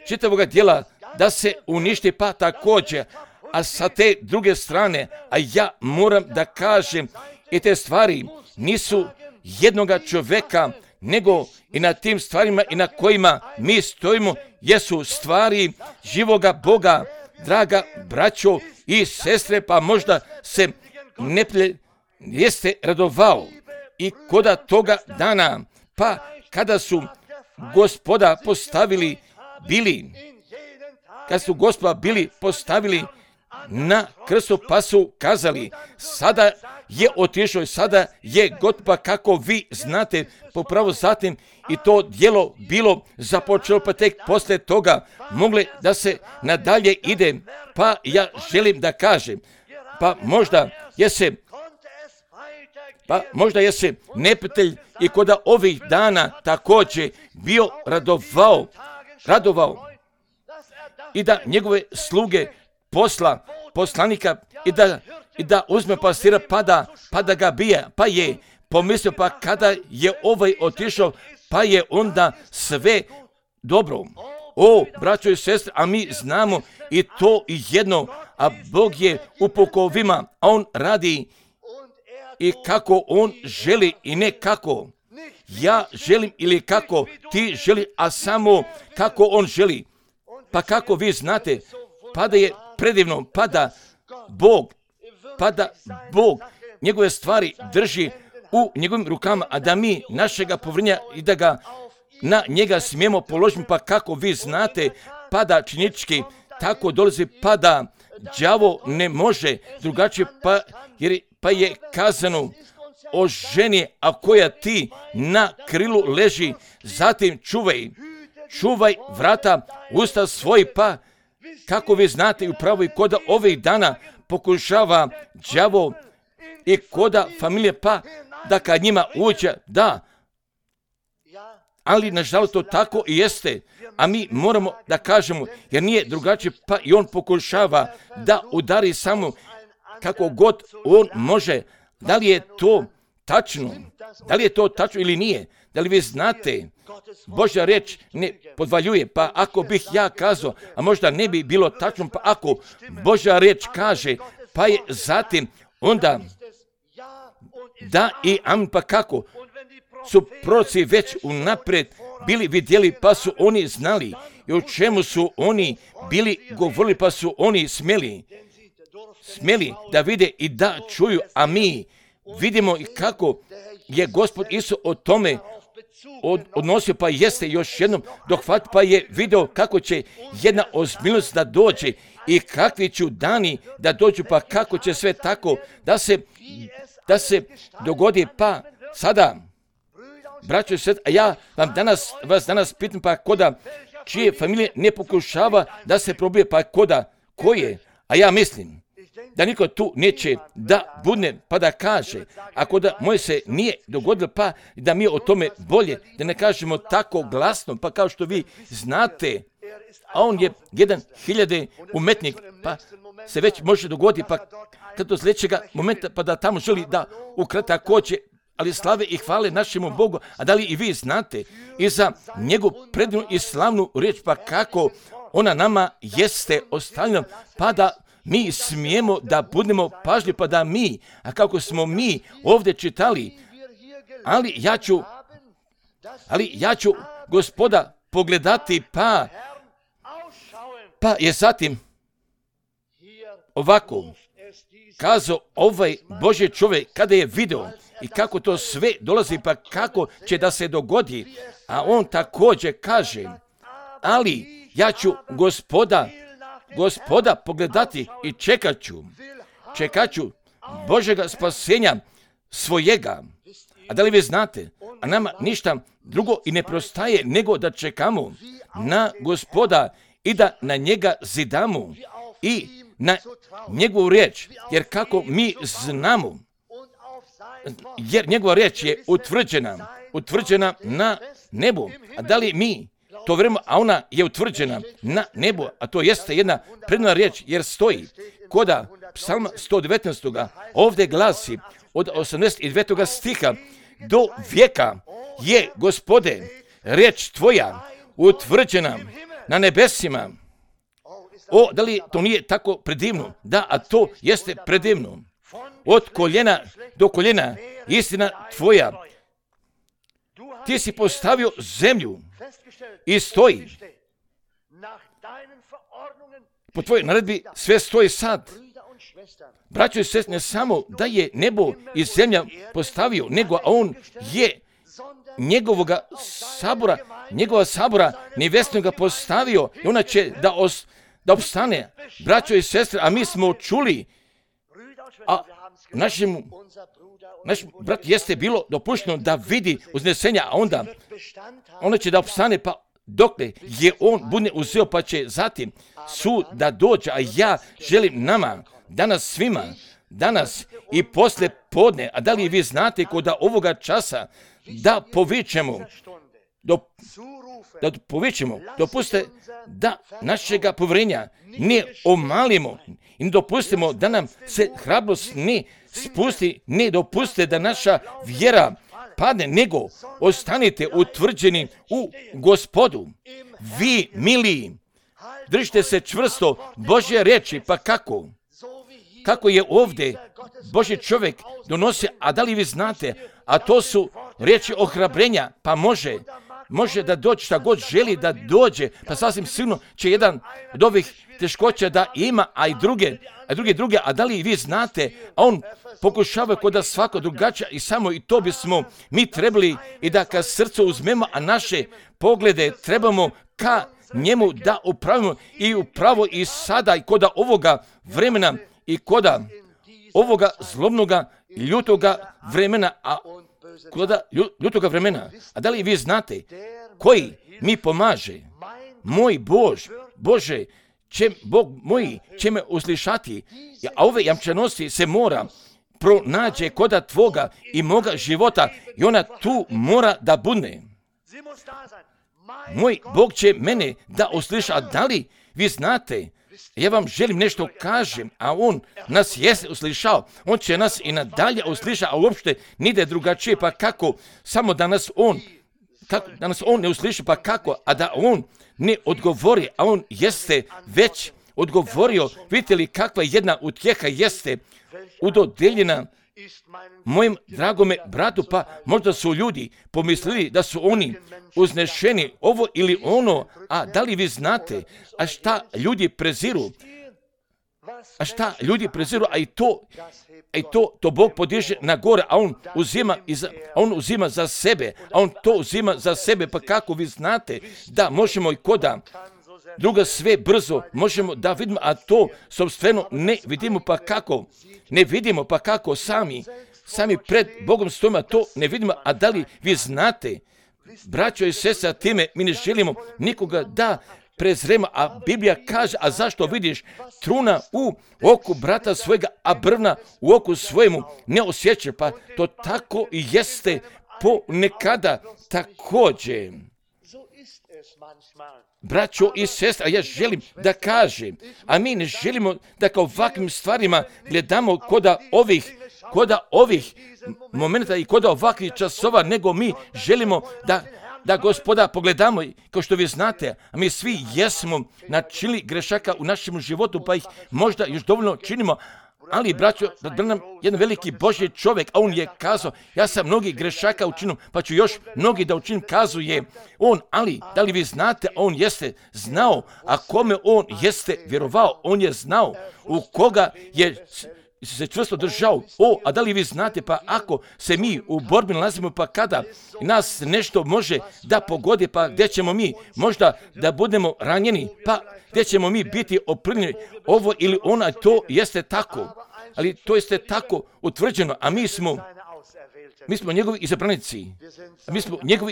čitavoga dijela da se uništi, pa također. A sa te druge strane, a ja moram da kažem, i te stvari nisu jednoga čovjeka, nego i na tim stvarima i na kojima mi stojimo, jesu stvari živoga Boga, draga braćo i sestre, pa možda se neprijatelj jeste radovao i koda toga dana, pa kada su Gospoda postavili na krstu, pa su kazali, sada je otišao i sada je gotov, pa kako vi znate, popravo zatim i to djelo bilo započelo, pa tek poslije toga mogle da se nadalje ide, pa ja želim da kažem, pa možda je se neprijatelj i kod ovih dana također bio radovao i da njegove sluge poslanika i da uzme pastira pa da ga bije, pa je pomislio, pa kada je ovaj otišao, pa je onda sve dobro. O, braćo i sestre, a mi znamo i to i jedno, a Bog je u pukovima, a on radi i kako on želi i ne kako ja želim ili kako ti želi, a samo kako on želi. Pa kako vi znate, pa da je predivno, pa da Bog njegove stvari drži u njegovim rukama, a da mi našega povrnja i da ga na njega smijemo položiti, pa kako vi znate, pa da činički tako dolazi, pa da đavo ne može drugačije, pa je kazano o ženi, a koja ti na krilu leži, zatim čuvaj vrata usta svoj, pa kako vi znate, upravo i koda ovih dana pokušava đavo i koda familije, pa da kad njima uđe, da, ali nažalost to tako i jeste, a mi moramo da kažemo, jer nije drugačije, pa i on pokušava da udari samo kako god on može. Da li je to tačno? Da li je to tačno ili nije? Da li vi znate, Božja riječ ne podvaljuje, pa ako bih ja kazao, a možda ne bi bilo tačno, pa ako Božja riječ kaže, pa je zatim onda da i amen, pa kako su proroci već unaprijed bili vidjeli, pa su oni znali i o čemu su oni bili govorili, pa su oni smjeli da vide i da čuju, a mi vidimo i kako je Gospod Isus o tome odnosio, pa jeste još jednom dohvat, pa je video kako će jedna ozbiljnost da dođe i kakvi će dani da dođu, pa kako će sve tako da se dogodi, pa sada, braćo i sestre, a ja vas danas pitam, pa koda čije familije ne pokušava da se probije, pa koje, a ja mislim da niko tu neće da budne pa da kaže, ako da moje se nije dogodilo, pa da mi o tome bolje, da ne kažemo tako glasno, pa kao što vi znate, a on je 1000 umetnik, pa se već može dogoditi, pa kad do sljedećega momenta, pa da tamo želi da ukrata koće, ali slave i hvale našemu Bogu, a da li i vi znate i za njegovu predivnu i slavnu riječ, pa kako ona nama jeste ostavljena, pa da mi smijemo da budemo pažljivi, pa da mi, a kako smo mi ovdje čitali, ali ja ću Gospoda pogledati, pa je zatim ovako kazao ovaj Božji čovjek kada je video i kako to sve dolazi, pa kako će da se dogodi, a on također kaže, ali ja ću Gospoda pogledati i čekat ću Božjega spasenja svojega. A da li vi znate, a nama ništa drugo i ne prostaje nego da čekamo na Gospoda i da na njega zidamo i na njegovu riječ, jer kako mi znamo, jer njegova riječ je utvrđena na nebu, a da li mi to vrijeme, a ona je utvrđena na nebo, a to jeste jedna predivna riječ, jer stoji koda psalma 119. Ovdje glasi od 89. stiha: do vijeka je, Gospode, riječ tvoja utvrđena na nebesima. O, da li to nije tako predivno? Da, a to jeste predivno. Od koljena do koljena istina tvoja. Ti si postavio zemlju i stoji. Po tvojoj naredbi sve stoji sad. Braćo i sestre, ne samo da je nebo i zemlja postavio, nego on je njegova sabora nevjesnoga postavio i ona će da opstane. Braćo i sestre, a mi smo čuli, a naš brat jeste bilo dopušteno da vidi uznesenja, a onda će da opstane, pa dokle je on bude uzeo, pa će zatim sud da dođe. A ja želim nama, danas svima, danas i posle podne, a da li vi znate kod ovoga časa, da povičemo, dopustite da našega povjerenja ne omalimo i ne dopustimo da nam se hrabrost ne spusti, ne dopustite da naša vjera padne, nego ostanite utvrđeni u Gospodu. Vi, miliji, držite se čvrsto Božje riječi, pa kako je ovdje Božji čovjek donosi, a da li vi znate, a to su riječi ohrabrenja, pa može da dođe šta god želi da dođe, pa sasvim sigurno će jedan od ovih teškoća da ima, a i druge, a da li vi znate, a on pokušava kod da svako drugačije i samo i to bismo mi trebali i da ka srcu uzmemo, a naše poglede trebamo ka njemu da upravimo i upravo i sada i kod ovoga vremena i kod ovoga zlobnoga, ljutoga vremena, a da li vi znate koji mi pomaže? Moj Bože, Bog moj će me uslišati, a ove jamčanosti se mora pronađe koda tvoga i moga života i ona tu mora da budne. Moj Bog će mene da usliša, a da li vi znate? Ja vam želim nešto kažem, a on nas jeste uslišao, on će nas i nadalje usliša, a uopšte nide drugačije, pa kako, samo da nas on ne usliši, pa kako, a da on ne odgovori, a on jeste već odgovorio. Vidite li kakva jedna utjeha jeste udodeljena mojem dragome bratu, pa možda su ljudi pomislili da su oni uznešeni ovo ili ono, a da li vi znate, a šta ljudi preziru, a i to Bog podiže na gore, a on uzima za sebe, pa kako vi znate da možemo i koda druga sve brzo možemo da vidimo, a to sobstveno ne vidimo, pa kako sami pred Bogom stojimo, a to ne vidimo, a da li vi znate, braćo i sestre, time mi ne želimo nikoga da prezremo, a Biblija kaže, a zašto vidiš truna u oku brata svojega, a brvna u oku svojemu ne osjeća, pa to tako i jeste ponekada također. Braćo i sestra, ja želim da kažem, a mi ne želimo da kao ovakvim stvarima gledamo koda ovih momenta i koda ovakvih časova, nego mi želimo da Gospoda pogledamo, kao što vi znate, a mi svi jesmo načinili grešaka u našem životu, pa ih možda još dovoljno činimo, ali braćo, da nam jedan veliki Božji čovjek, a on je kazao, ja sam mnogi grešaka učinio, pa ću još mnogi da učinim, kazuje on, ali da li vi znate, on jeste znao, a kome on jeste vjerovao, on je znao u koga je se čvrsto držao. A da li vi znate, pa ako se mi u borbi nalazimo, pa kada nas nešto može da pogodi, pa gdje ćemo mi možda da budemo ranjeni, pa gdje ćemo mi biti oprnjeni, ovo ili ona, to jeste tako, ali to jeste tako utvrđeno, a mi smo njegovi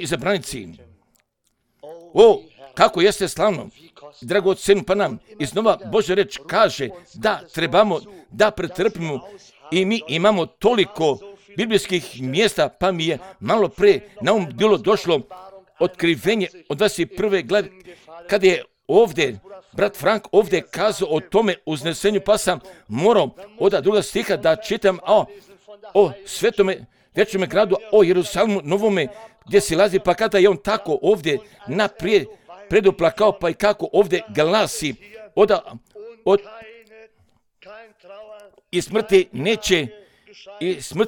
izabranici. Kako jeste slavno, dragoceno, pa nam iznova Božja reč kaže da trebamo da pretrpimo i mi imamo toliko biblijskih mjesta, pa mi je malo pre na bilo došlo otkrivenje od 21. glave, kada je ovdje brat Frank ovdje kazao o tome uznesenju, pa sam morao od druga stiha da čitam o svetome večnome gradu, o Jerusalimu novome, gdje se lazi, pa kada je on tako ovdje naprijed preduplakao, pa i kako ovdje glasi i smrti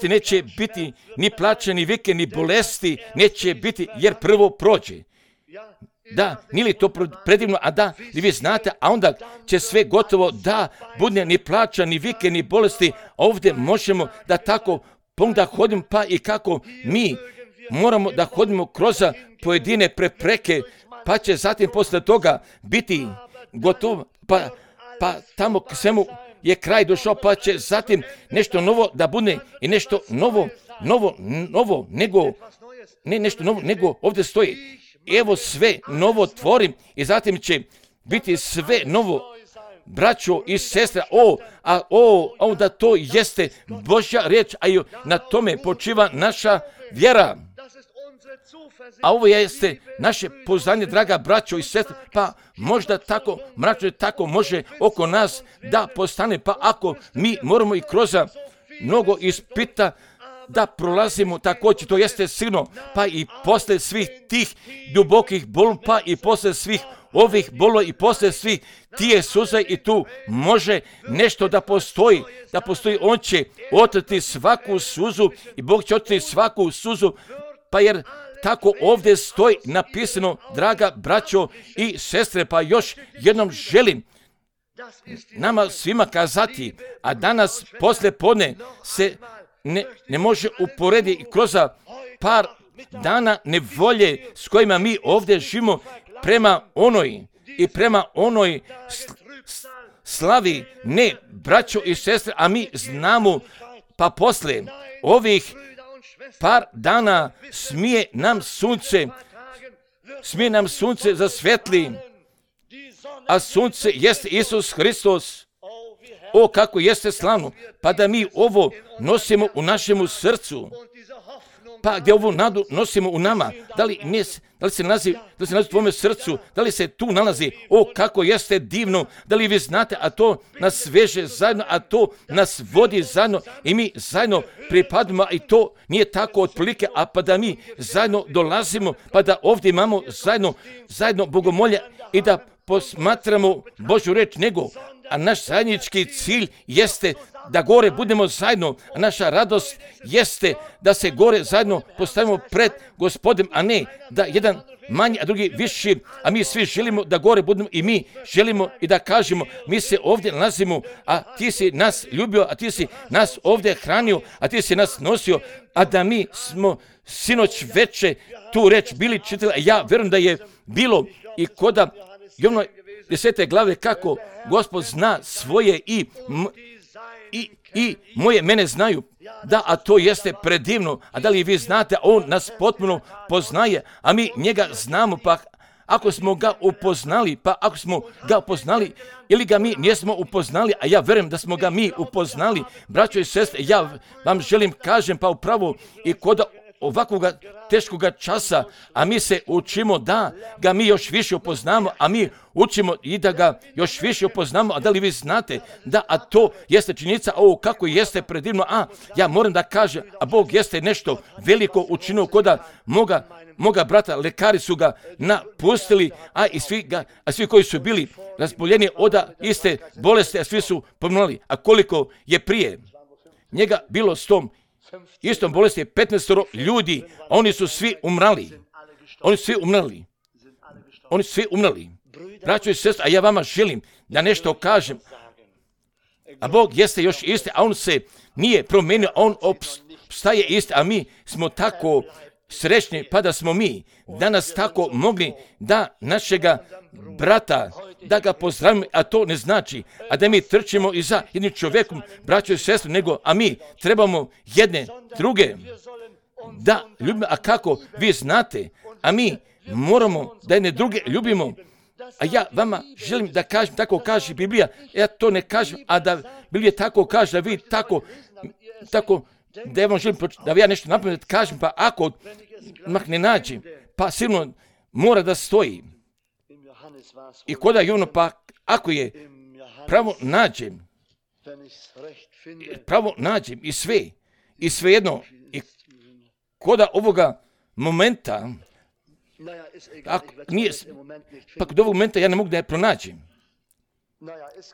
neće biti ni plaća, ni vike, ni bolesti neće biti, jer prvo prođe. Da, nije li to predivno, a da, vi znate, a onda će sve gotovo da bude ni plaća, ni vike, ni bolesti, a ovdje možemo da tako da hodimo, pa i kako mi moramo da hodimo kroz pojedine prepreke, pa će zatim posle toga biti gotovo, pa tamo k svemu je kraj došao, pa će zatim nešto novo da bude i nešto novo, nego ovdje stoji. Evo sve novo tvorim i zatim će biti sve novo, braćo i sestre, da to jeste Božja riječ, a i na tome počiva naša vjera. A ovo jeste naše poznanje, draga braćo i sestre, pa možda tako mračno tako može oko nas da postane, pa ako mi moramo i kroz mnogo ispita da prolazimo također, to jeste sigurno, pa i posle svih tih dubokih bol, pa i posle svih ovih bolova i posle svih tije suza i tu može nešto da postoji, on će otrti svaku suzu i Bog će otrti svaku suzu, pa jer tako ovdje stoji napisano, draga braćo i sestre, pa još jednom želim nama svima kazati, a danas posle podne se ne može uporediti kroz par dana nevolje s kojima mi ovdje živimo prema onoj slavi, ne braćo i sestre, a mi znamo, pa posle ovih par dana smije nam sunce zasvetli, a sunce jeste Isus Hristos. O, kako jeste slavno, pa da mi ovo nosimo u našemu srcu, pa gdje ovu nadu nosimo u nama, da li se nalazi u tvome srcu, da li se tu nalazi, o, kako jeste divno, da li vi znate, a to nas veže zajedno, a to nas vodi zajedno i mi zajedno pripadamo, i to nije tako otprilike, a pa da mi zajedno dolazimo, pa da ovdje imamo zajedno bogomolje i da posmatramo Božju reč, a naš zajednički cilj jeste da gore budemo zajedno, a naša radost jeste da se gore zajedno postavimo pred Gospodem, a ne da jedan manji, a drugi viši, a mi svi želimo da gore budemo i mi želimo i da kažemo, mi se ovdje nalazimo, a ti si nas ljubio, a ti si nas ovdje hranio, a ti si nas nosio, a da mi smo sinoć veče tu reč bili čitali, a ja vjerujem da je bilo i koda Jovnoj 10. glave kako Gospod zna svoje i moje mene znaju, da, a to jeste predivno, a da li vi znate, on nas potpuno poznaje, a mi njega znamo, pa ako smo ga upoznali, ili ga mi nismo upoznali, a ja verujem da smo ga mi upoznali, braćo i sestre, ja vam želim kažem, pa upravo i kod ovakvog teškoga časa, a mi se učimo da ga mi još više upoznamo, a mi učimo i da ga još više upoznamo, a da li vi znate da, a to jeste činjenica, ovo kako jeste predivno, a ja moram da kažem, a Bog jeste nešto veliko učinio koda moga brata, lekari su ga napustili, a svi koji su bili razboljeni od iste bolesti, a svi su pomrli, a koliko je prije njega bilo s tom istom bolesti je 15 ljudi, a oni su svi umrli. Braćo i sestre, a ja vama želim da nešto kažem, a Bog jeste još isti, a on se nije promijenio, a on opstaje isti, a mi smo tako srećni, pa da smo mi danas tako mogli da našega brata, da ga pozdravimo, a to ne znači, a da mi trčimo i za jednim čovjekom, braćo i sestre, nego, a mi trebamo jedne druge da ljubimo, a kako vi znate, a mi moramo da jedne druge ljubimo, a ja vama želim da kažem, tako kaže Biblija, ja to ne kažem, a da Biblija tako kaže, da vi tako, da ja vam želim, da ja nešto napamet kažem, pa ako ne nađem, pa sigurno mora da stoji. I koda Jovanu, pa ako je pravo nađem i svejedno, i koda ovoga momenta, pa kod ovog momenta ja ne mogu da je pronađem.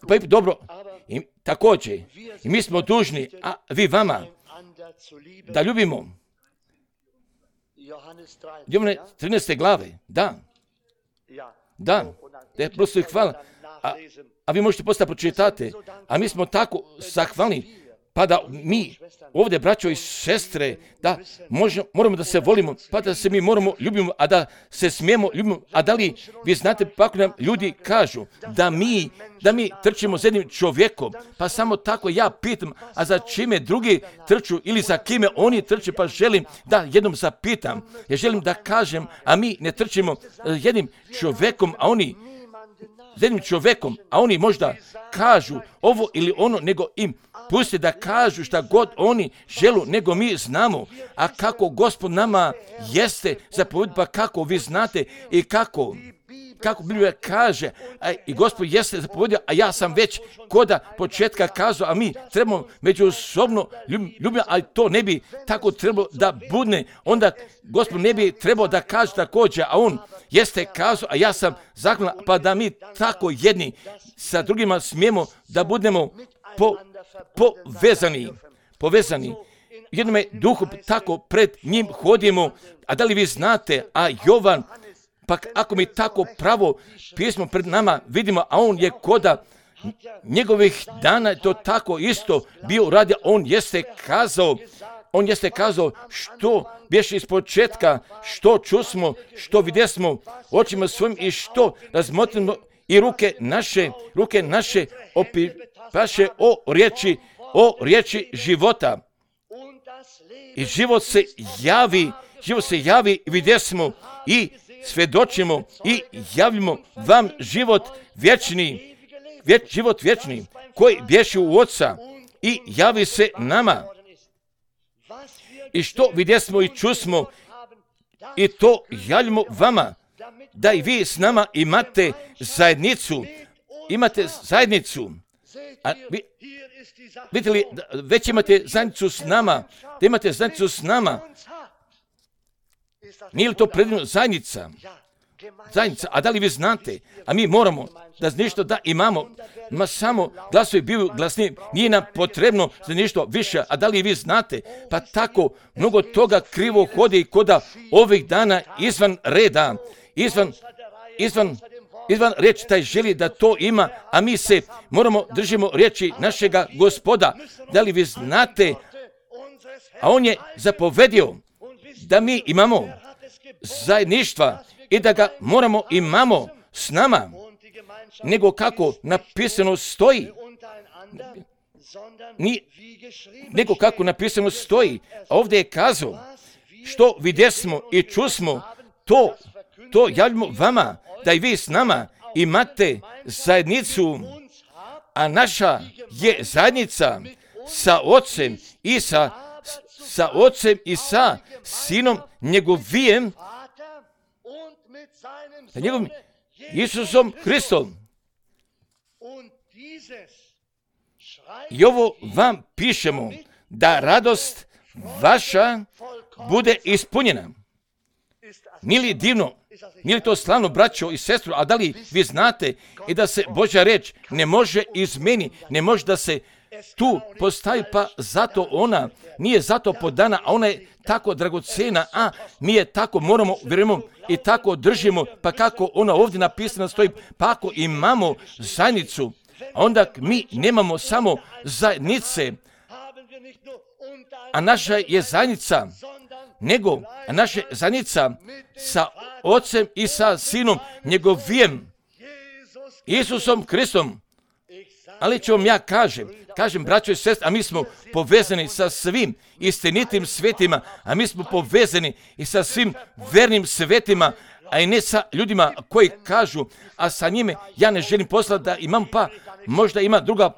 Pa je dobro, i također, i mi smo dužni, a vi vama, da ljubimo. Jovane 13. glave, da je prosto hvala, a vi možete postati pročitate, a mi smo tako zahvalni, pa da mi ovdje, braćo i sestre, da moramo da se volimo, pa da se mi moramo ljubimo, a da se smijemo ljubimo. A da li vi znate, pa ako nam ljudi kažu da mi trčimo za jednim čovjekom, pa samo tako ja pitam, a za čime drugi trču ili za kime oni trče, pa želim da jednom zapitam. Ja želim da kažem, a mi ne trčimo jednim čovjekom, a oni jednim čovjekom, a oni možda kažu ovo ili ono, nego im pusti da kažu šta god oni želu, nego mi znamo. A kako Gospod nama jeste zapovjed, pa kako vi znate i kako Biblija kaže, i Gospod jeste zapovjedio, a ja sam već koda početka kazao, a mi trebamo međusobno ljubiti, ali to ne bi tako trebalo da budne. Onda Gospod ne bi trebao da kaže također, a on jeste kazao, a ja sam zahvalan, pa da mi tako jedni sa drugima smijemo da budemo povezani. Jednome duhu tako pred njim hodimo, a da li vi znate, a Jovan, pa ako mi tako pravo pismo pred nama vidimo, a on je koda njegovih dana to tako isto bio radio, on jeste kazao što bješe iz početka, što čusmo, što vidjesmo očima svojim i što razmotrimo i ruke naše opipaše o riječi života. I život se javi, vidjesmo i svjedočimo i javimo vam život vječni, koji bješe u Oca i javi se nama. I što vidjesmo i čusmo, i to javimo vama, da i vi s nama imate zajednicu. A vidite li, već imate zajednicu s nama, da imate zajednicu s nama. Nije li to predivno zajednica? A da li vi znate? A mi moramo da nešto da imamo, samo glasovi biju glasni, nije nam potrebno za nešto više. A da li vi znate? Pa tako mnogo toga krivo hodi koda ovih dana izvan reda, izvan riječi taj želi da to ima, a mi se držimo riječi našega Gospoda. Da li vi znate? A on je zapovedio da mi imamo zajedništva i da ga imamo s nama, nego kako napisano stoji. Nego kako napisano stoji. A ovdje je kazao, što vidjesmo i čusmo, to javimo vama, da i vi s nama imate zajednicu, a naša je zajednica sa Ocem i sa Sinom njegovim, njegovim Isusom Hristom. I ovo vam pišemo, da radost vaša bude ispunjena. Nije li divno? Nije li to slavno, braćo i sestro? A da li vi znate i da se Božja reč ne može izmeniti, ne može da se tu postavi, pa zato ona nije zato podana, a ona je tako dragocena, a mi je tako moramo, vjerujemo i tako držimo, pa kako ona ovdje napisana stoji, pa ako imamo zajednicu, a onda mi nemamo samo zajednice, a naša je zajednica, nego naša zajednica sa Ocem i sa Sinom njegovim Isusom Hristom. Ali ću vam ja kažem, braćo i sestre, a mi smo povezani sa svim istinitim svetima, a mi smo povezani i sa svim vernim svetima, a i ne sa ljudima koji kažu, a sa njime ja ne želim poslati da imam, pa možda ima druga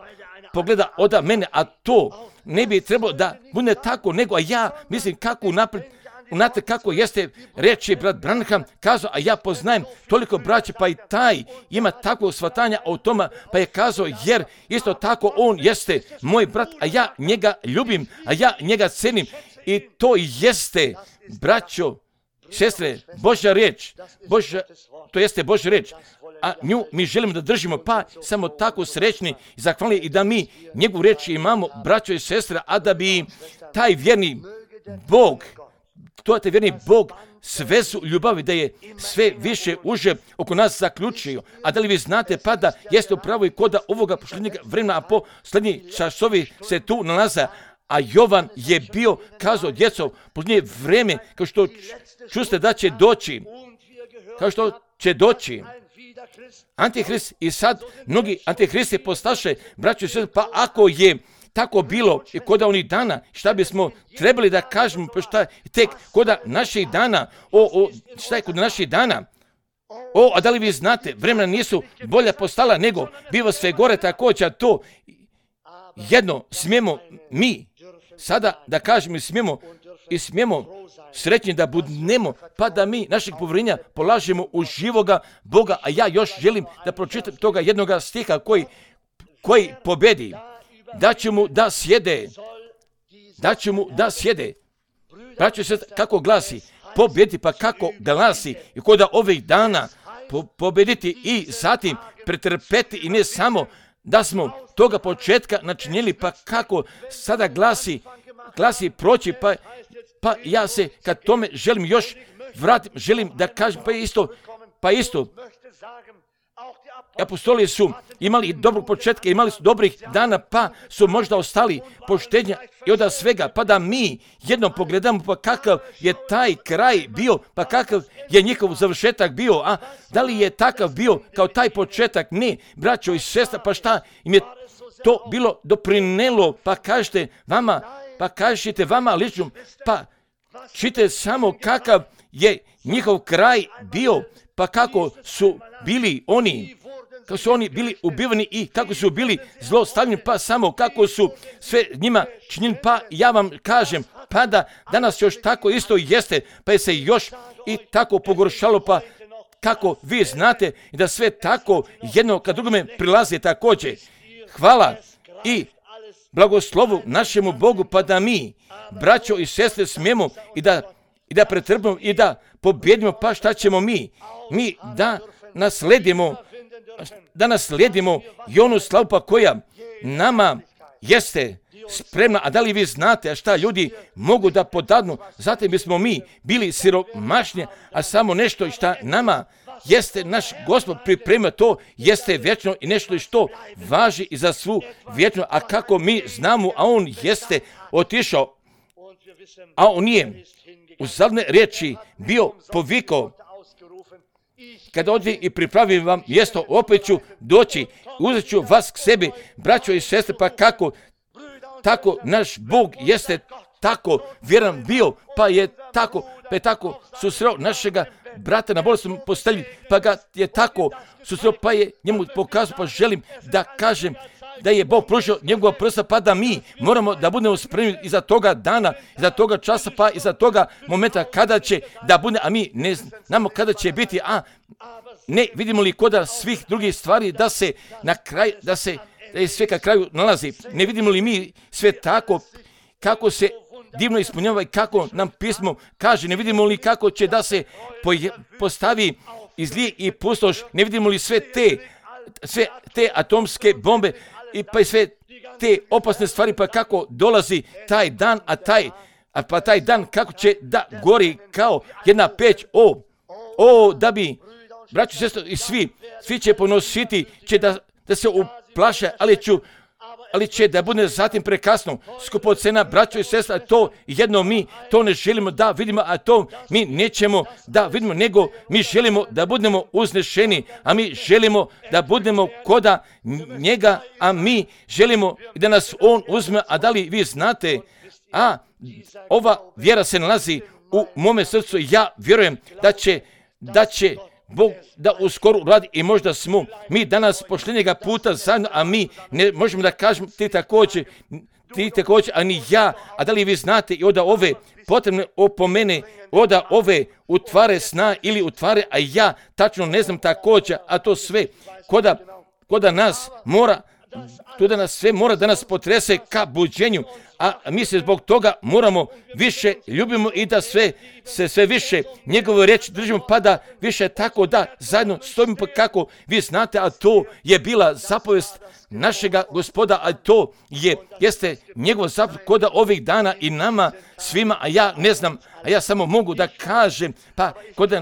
pogleda od mene, a to ne bi trebalo da bude tako, nego a ja mislim kako naprijed Znate kako jeste, reći brat Branham kazao, a ja poznajem toliko braća, pa i taj ima takvo shvatanja o tome, pa je kazao, jer isto tako on jeste moj brat, a ja njega ljubim, a ja njega cenim. I to jeste, braćo, sestre, Božja riječ, to jeste Božja riječ, a nju mi želimo da držimo, pa samo tako srećni i zahvalni i da mi njegovu riječ imamo, braćo i sestre, a da bi taj vjerni Bog, taj vjerni Bog sve su ljubavi, da je sve više uže oko nas zaključio. A da li vi znate, pa da jeste upravo i koda ovoga posljednjeg vremena, a posljednji časovi se tu nalaze, a Jovan je bio kazao, djeco, posljednje vreme, kao što čuste da će doći, kao što će doći Antihrist, i sad mnogi antihristi postaše, braćo i sestre, pa ako je tako bilo i koda onih dana, šta bismo trebali da kažemo, pa šta tek koda naših dana, šta je kod naših dana? A da li vi znate, vremena nisu bolja postala, nego biva sve gore također, a to jedno smijemo mi sada da kažemo i smijemo srećni da budemo, pa da mi našeg povjerenja polažemo u živoga Boga, a ja još želim da pročitam toga jednoga stiha koji pobedi, da će mu da sjede, braćo se kako glasi, pobedi, pa kako glasi, i koda ovih dana pobediti i zatim pretrpeti, i ne samo da smo toga početka načinili, pa kako sada glasi proći, pa ja se kad tome želim još vratiti, želim da kažem, pa isto, apostoli su imali dobrog početka, imali su dobrih dana, pa su možda ostali poštenja i od svega, pa da mi jednom pogledamo, pa kakav je taj kraj bio, pa kakav je njihov završetak bio, a da li je takav bio kao taj početak? Ne, braćo i sestra, pa šta im je to bilo doprinelo, pa kažete vama lično, pa čite samo kakav je njihov kraj bio, pa kako su bili oni bili ubivani i kako su bili zlostavljeni, pa samo kako su sve njima činjeni, pa ja vam kažem, pa da danas još tako isto jeste, pa je se još i tako pogoršalo, pa kako vi znate da sve tako jedno kad drugome prilazi također. Hvala i blagoslovu našemu Bogu, pa da mi, braćo i sestre, smijemo i da pretrpimo i da pobjedimo, pa šta ćemo mi da nasledimo i onu slavu, pa koja nama jeste spremna. A da li vi znate, a šta ljudi mogu da podadnu? Zatim bismo mi bili siromašni, a samo nešto šta nama jeste naš Gospod pripremio, to jeste vječno i nešto što važi i za svu vječno. A kako mi znamo, a on jeste otišao, a on nije u zadnje riječi bio povikao, kada odi i pripravim vam mjesto, opet ću doći, uzet ću vas k sebi, braćo i sestre, pa kako tako naš Bog jeste tako vjeran bio, pa je tako susreo našega brata na bolesnom postelji, pa ga je tako susreo, pa je njemu pokazao, pa želim da kažem da je Bog pružio njegova prsa, pa da mi moramo da budemo spremni iza toga dana, iza toga časa, pa iza toga momenta kada će da bude, a mi ne znamo kada će biti, a ne vidimo li koda svih drugih stvari da se na kraj, da je sve ka kraju nalazi. Ne vidimo li mi sve tako kako se divno ispunjava i kako nam pismo kaže, ne vidimo li kako će da se postavi i zli i pustoš, ne vidimo li sve te atomske bombe i pa i sve te opasne stvari, pa kako dolazi taj dan, pa taj dan kako će da gori kao jedna peć, da bi, braćo i sestre, i svi će ponositi, će da se uplaše, ali će da bude zatim prekasno. Skupocena, braćo i sestra, to jedno mi to ne želimo da vidimo, a to mi nećemo da vidimo, nego mi želimo da budemo uznešeni, a mi želimo da budemo koda njega, a mi želimo da nas on uzme. A da li vi znate, ova vjera se nalazi u mome srcu, ja vjerujem da će Bog da uskoro radi i možda smo mi danas posljednjega puta zajedno, a mi ne možemo da kažemo ti također ti također, a ni ja, a da li vi znate i onda ove potrebne opomene, onda ove utvare sna ili utvare, a ja tačno ne znam također, a to sve, koda nas mora, to da nas sve mora da nas potrese ka buđenju, a mi se zbog toga moramo više ljubimo i da sve više njegovu riječ držimo, pa da više tako da zajedno stojimo, pa kako vi znate, a to je bila zapovest našega Gospoda, a to jeste njegov zapovest koda ovih dana i nama svima, a ja ne znam, a ja samo mogu da kažem, pa kod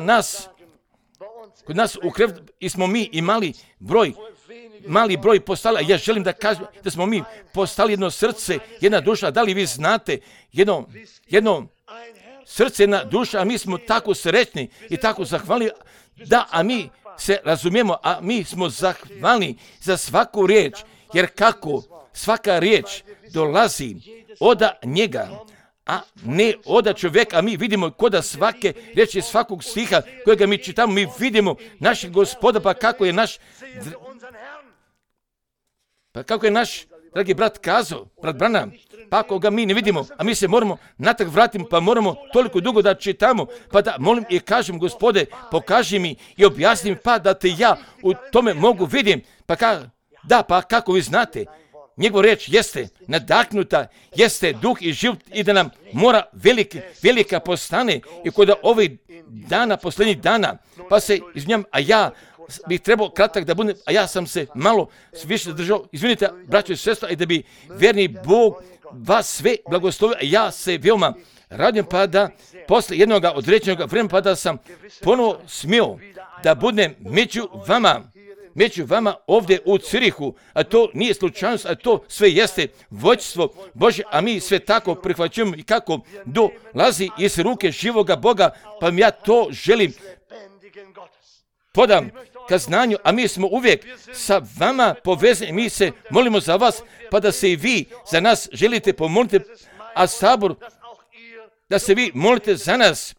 nas u krevetu smo mi imali mali broj postali, a ja želim da kažem da smo mi postali jedno srce, jedna duša, da li vi znate, jedno srce, jedna duša, a mi smo tako srećni i tako zahvalni, da, a mi se razumijemo, a mi smo zahvalni za svaku riječ, jer kako svaka riječ dolazi od njega, a ne od čovjeka, a mi vidimo koda svake riječi, svakog stiha kojega mi čitamo, mi vidimo našeg Gospoda, pa kako je naš dragi brat kazao, brat Branham, pa ako ga mi ne vidimo, a mi se moramo natrag vratiti, pa moramo toliko dugo da čitamo, pa da molim i kažem, Gospode, pokaži mi i objasni mi, pa da te ja u tome mogu vidim, pa kako vi znate, njegova riječ jeste nadahnuta, jeste duh i život i da nam mora velika postane i kod ovih dana, posljednjih dana, pa se izvinjam, a ja bih trebao kratak da budem, a ja sam se malo više držao, izvinite, braćo i sestra, i da bi vjerni Bog vas sve blagoslovio, a ja se veoma radim, pa da posle jednog određenog vremena, pa da sam ponovo smio da budem među vama ovdje u Cirihu, a to nije slučajnost, a to sve jeste vođstvo Božje, a mi sve tako prihvaćujemo i kako dolazi iz ruke živoga Boga, pa ja to želim podam ka znanju, a mi smo uvijek sa vama povezani, mi se molimo za vas, pa da se i vi za nas želite pomoliti, a sabor, da se vi molite za nas,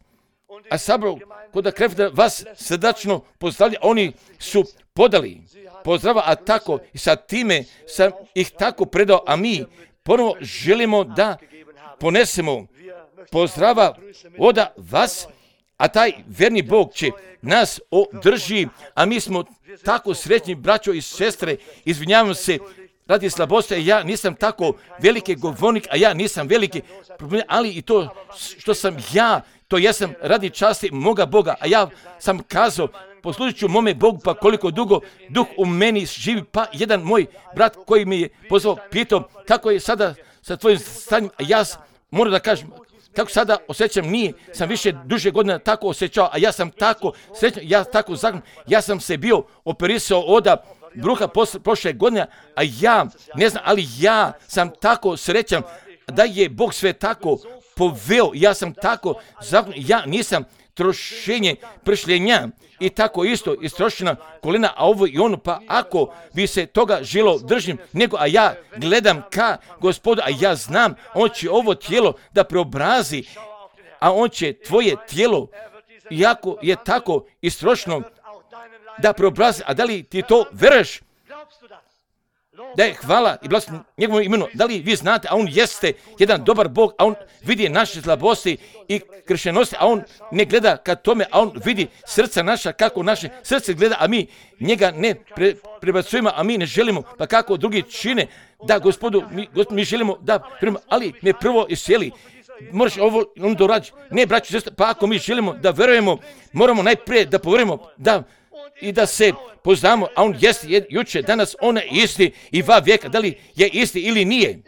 a sabor kod kreveta vas srdačno pozdravlja, oni su podali pozdrava, a tako i sa time sam ih tako predao, a mi ponovo želimo da ponesemo pozdrava od vas, a taj verni Bog će nas održi, a mi smo tako srećni, braćo i sestre, izvinjavam se radi slabosti, ja nisam tako veliki govornik, a ja nisam veliki problem, ali i to što sam ja, to jesam radi časti moga Boga, a ja sam kazao, poslužit ću mome Bogu, pa koliko dugo duh u meni živi, pa jedan moj brat koji mi je pozvao, pitao kako je sada sa tvojim stanjem, a ja moram da kažem, kako sada osjećam, sam više duže godina tako osjećao, a ja sam tako srećan, ja tako zahvalan, ja sam se bio operisao od bruha prošle godine, a ja ne znam, ali ja sam tako srećan da je Bog sve tako poveo, ja sam tako zahvalan, ja nisam trošenje pršljenja i tako isto istrošena kolena, a ovo i ono, pa ako bi se toga želo držim, nego, a ja gledam ka Gospodu, a ja znam, on će ovo tijelo da preobrazi, a on će tvoje tijelo, iako je tako istrošeno, da preobrazi, a da li ti to veruješ? Da je hvala i blagoslov njegovom imenu. Da li vi znate, a on jeste jedan dobar Bog, a on vidi naše slabosti i kršenosti, a on ne gleda ka tome, a on vidi srca naša, kako naše srce gleda, a mi njega ne prebacujemo, a mi ne želimo, pa kako drugi čine, da Gospodu, mi želimo da primimo, ali me prvo isjeli. Moraš ovo doraditi. Ne, braćo i sestre, pa ako mi želimo da verujemo, moramo najprije da poverujemo, i da se poznamo, a on jeste juče, danas, on je isti i va vijeka, da li je isti ili nije.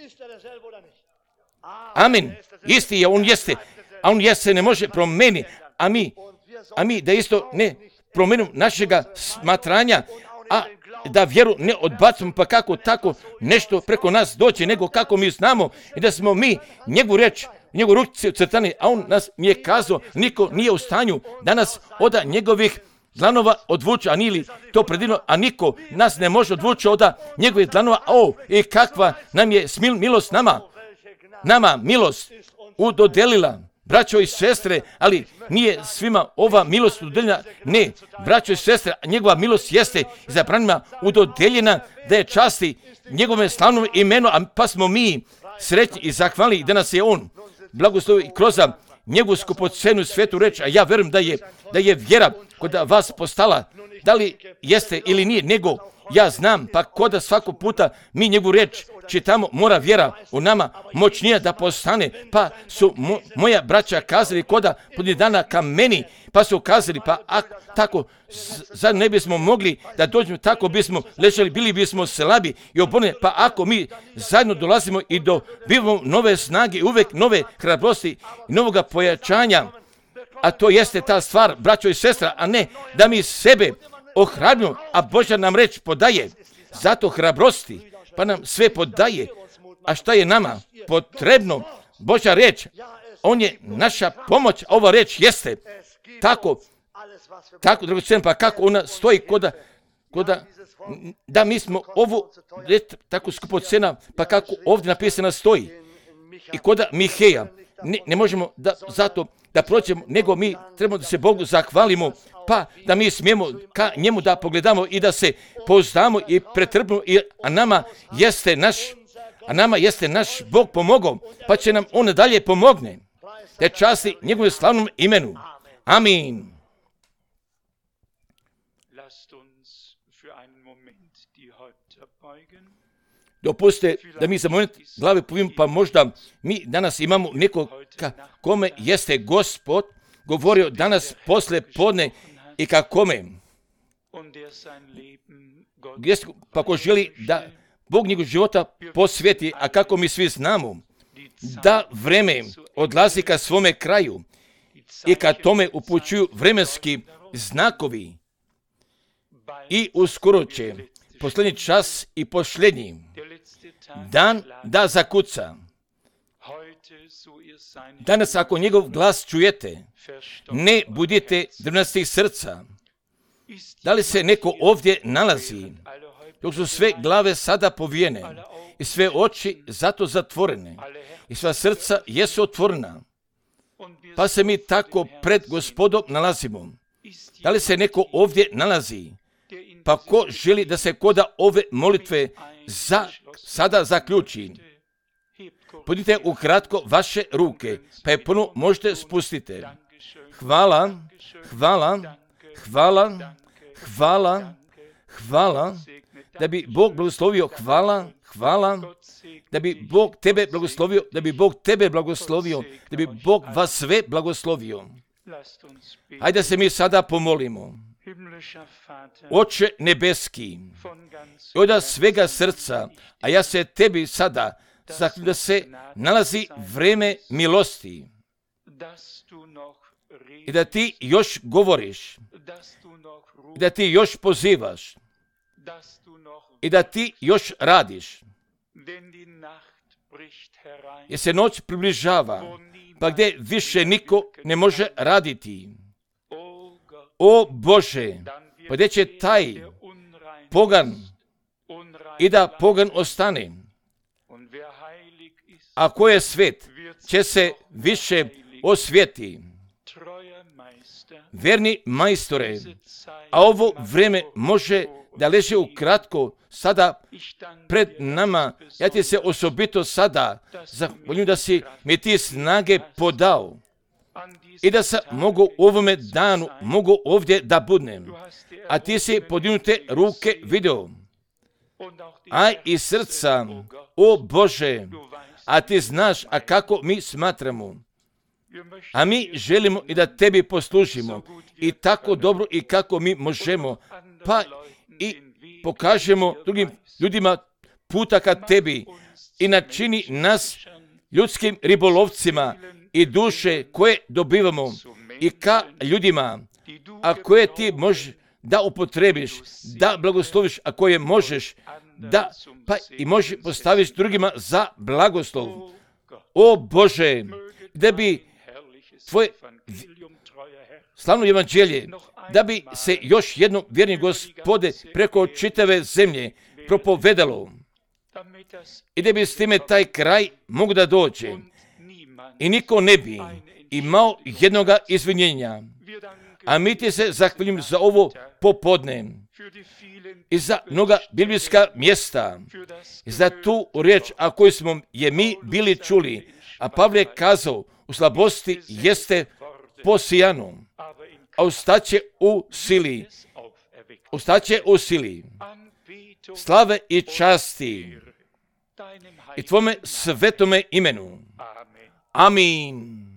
Amen. Isti je, on jeste, a on jeste ne može promeniti, a mi da isto ne promenimo našega smatranja, a da vjeru ne odbacimo, pa kako tako nešto preko nas doći, nego kako mi znamo i da smo mi njegovu reč, njegovu ruci crtani, a on nas mi je kazao, niko nije u stanju danas od njegovih dlanova odvuče, a nije to predivno, a niko nas ne može odvući od njegovih dlanova, i kakva nam je milost nama milost udodelila, braćo i sestre, ali nije svima ova milost udodeljena, ne, braćo i sestre, njegova milost jeste izabranima udodeljena da je časti njegove slavnom imenu, a pa smo mi sretni i zahvalni da nas je on blagoslovio kroz njegovu skupocenu svetu reč, a ja verujem da je vjera kod vas postala, da li jeste ili nije, nego ja znam, pa koda svakog puta mi njegovu reč čitamo, mora vjera u nama moćnija da postane, pa su moja braća kazali koda podnije dana ka meni, pa su kazali, pa tako, zar ne bismo mogli da dođemo, tako bismo ležali, bili bismo slabi i oborni, pa ako mi zajedno dolazimo i dobivamo nove snage, uvek nove hrabrosti i novoga pojačanja, a to jeste ta stvar, braćo i sestra, a ne da mi sebe ohrabrimo, a Božja nam reč podaje, zato hrabrosti, pa nam sve podaje, a šta je nama potrebno? Božja reč, on je naša pomoć, ova reč jeste tako dragocena, pa kako ona stoji koda da mi smo ovo tako skupocena, pa kako ovdje napisana stoji i koda Miheja, ne možemo zato da proćemo, nego mi trebamo da se Bogu zahvalimo, pa da mi smijemo ka njemu da pogledamo i da se pouzdamo i pretrpimo, a nama jeste naš Bog pomogao, pa će nam on dalje pomogne. Te časti njegovom slavnom imenu. Amin. Dopustite da mi za moment glave povijemo, pa možda mi danas imamo nekog kome jeste Gospod govorio danas posle podne i ka kome. Pa ko želi da Bog njegov života posveti, a kako mi svi znamo, da vreme odlazi ka svome kraju i ka tome upućuju vremenski znakovi i uskoro će posljednji čas i posljednji dan da zakuca. Danas ako njegov glas čujete, ne budite drvnastih srca. Da li se neko ovdje nalazi, dok su sve glave sada povijene i sve oči zato zatvorene i sva srca jesu otvorena, pa se mi tako pred Gospodom nalazimo. Da li se neko ovdje nalazi, pa ko želi da se koda ove molitve sada zaključi? Podite ukratko vaše ruke, pa je puno možete spustiti. Hvala, hvala, hvala, hvala, hvala, da bi Bog blagoslovio, hvala, hvala, da bi Bog tebe blagoslovio, da bi Bog tebe blagoslovio, da bi Bog vas sve blagoslovio. Hajde da se mi sada pomolimo. Oče nebeski, od svega srca, a ja se tebi sada zahvaljujem da se nalazi vreme milosti i da ti još govoriš, i da ti još pozivaš, i da ti još radiš. Jer se noć približava, pa gdje više niko ne može raditi. O Bože, pa gdje će taj pogan i da pogan ostane? A ko je svet, će se više osvijeti. Verni majstore, a ovo vreme može da leže ukratko sada pred nama. Ja ti se osobito sada zahvaljujem da si mi ti snage podao i da sam mogu u ovome danu, mogu ovdje da budnem. A ti si podignute ruke video, a i srca, o Bože, a ti znaš, a kako mi smatramo. A mi želimo i da tebi poslužimo i tako dobro i kako mi možemo, pa i pokažemo drugim ljudima puta ka tebi i načini nas ljudskim ribolovcima i duše koje dobivamo i ka ljudima, a koje ti možeš da upotrebiš, da blagosloviš, a koje možeš da pa i možeš postaviš drugima za blagoslov. O Bože, da bi tvoje slavno evanđelje, da bi se još jednom, vjerni Gospode, preko čitave zemlje propovedalo i da bi s time taj kraj mogu da dođe i niko ne bi imao jednoga izvinjenja. A mi ti se zahvaljujem za ovo popodne i za mnoga biblijska mjesta i za tu riječ, a koju smo je mi bili čuli. A Pavle je kazao, u slabosti jeste posijano, a ustaće u sili. Ustaće u sili. Slave i časti i tvome svetome imenu. Amin.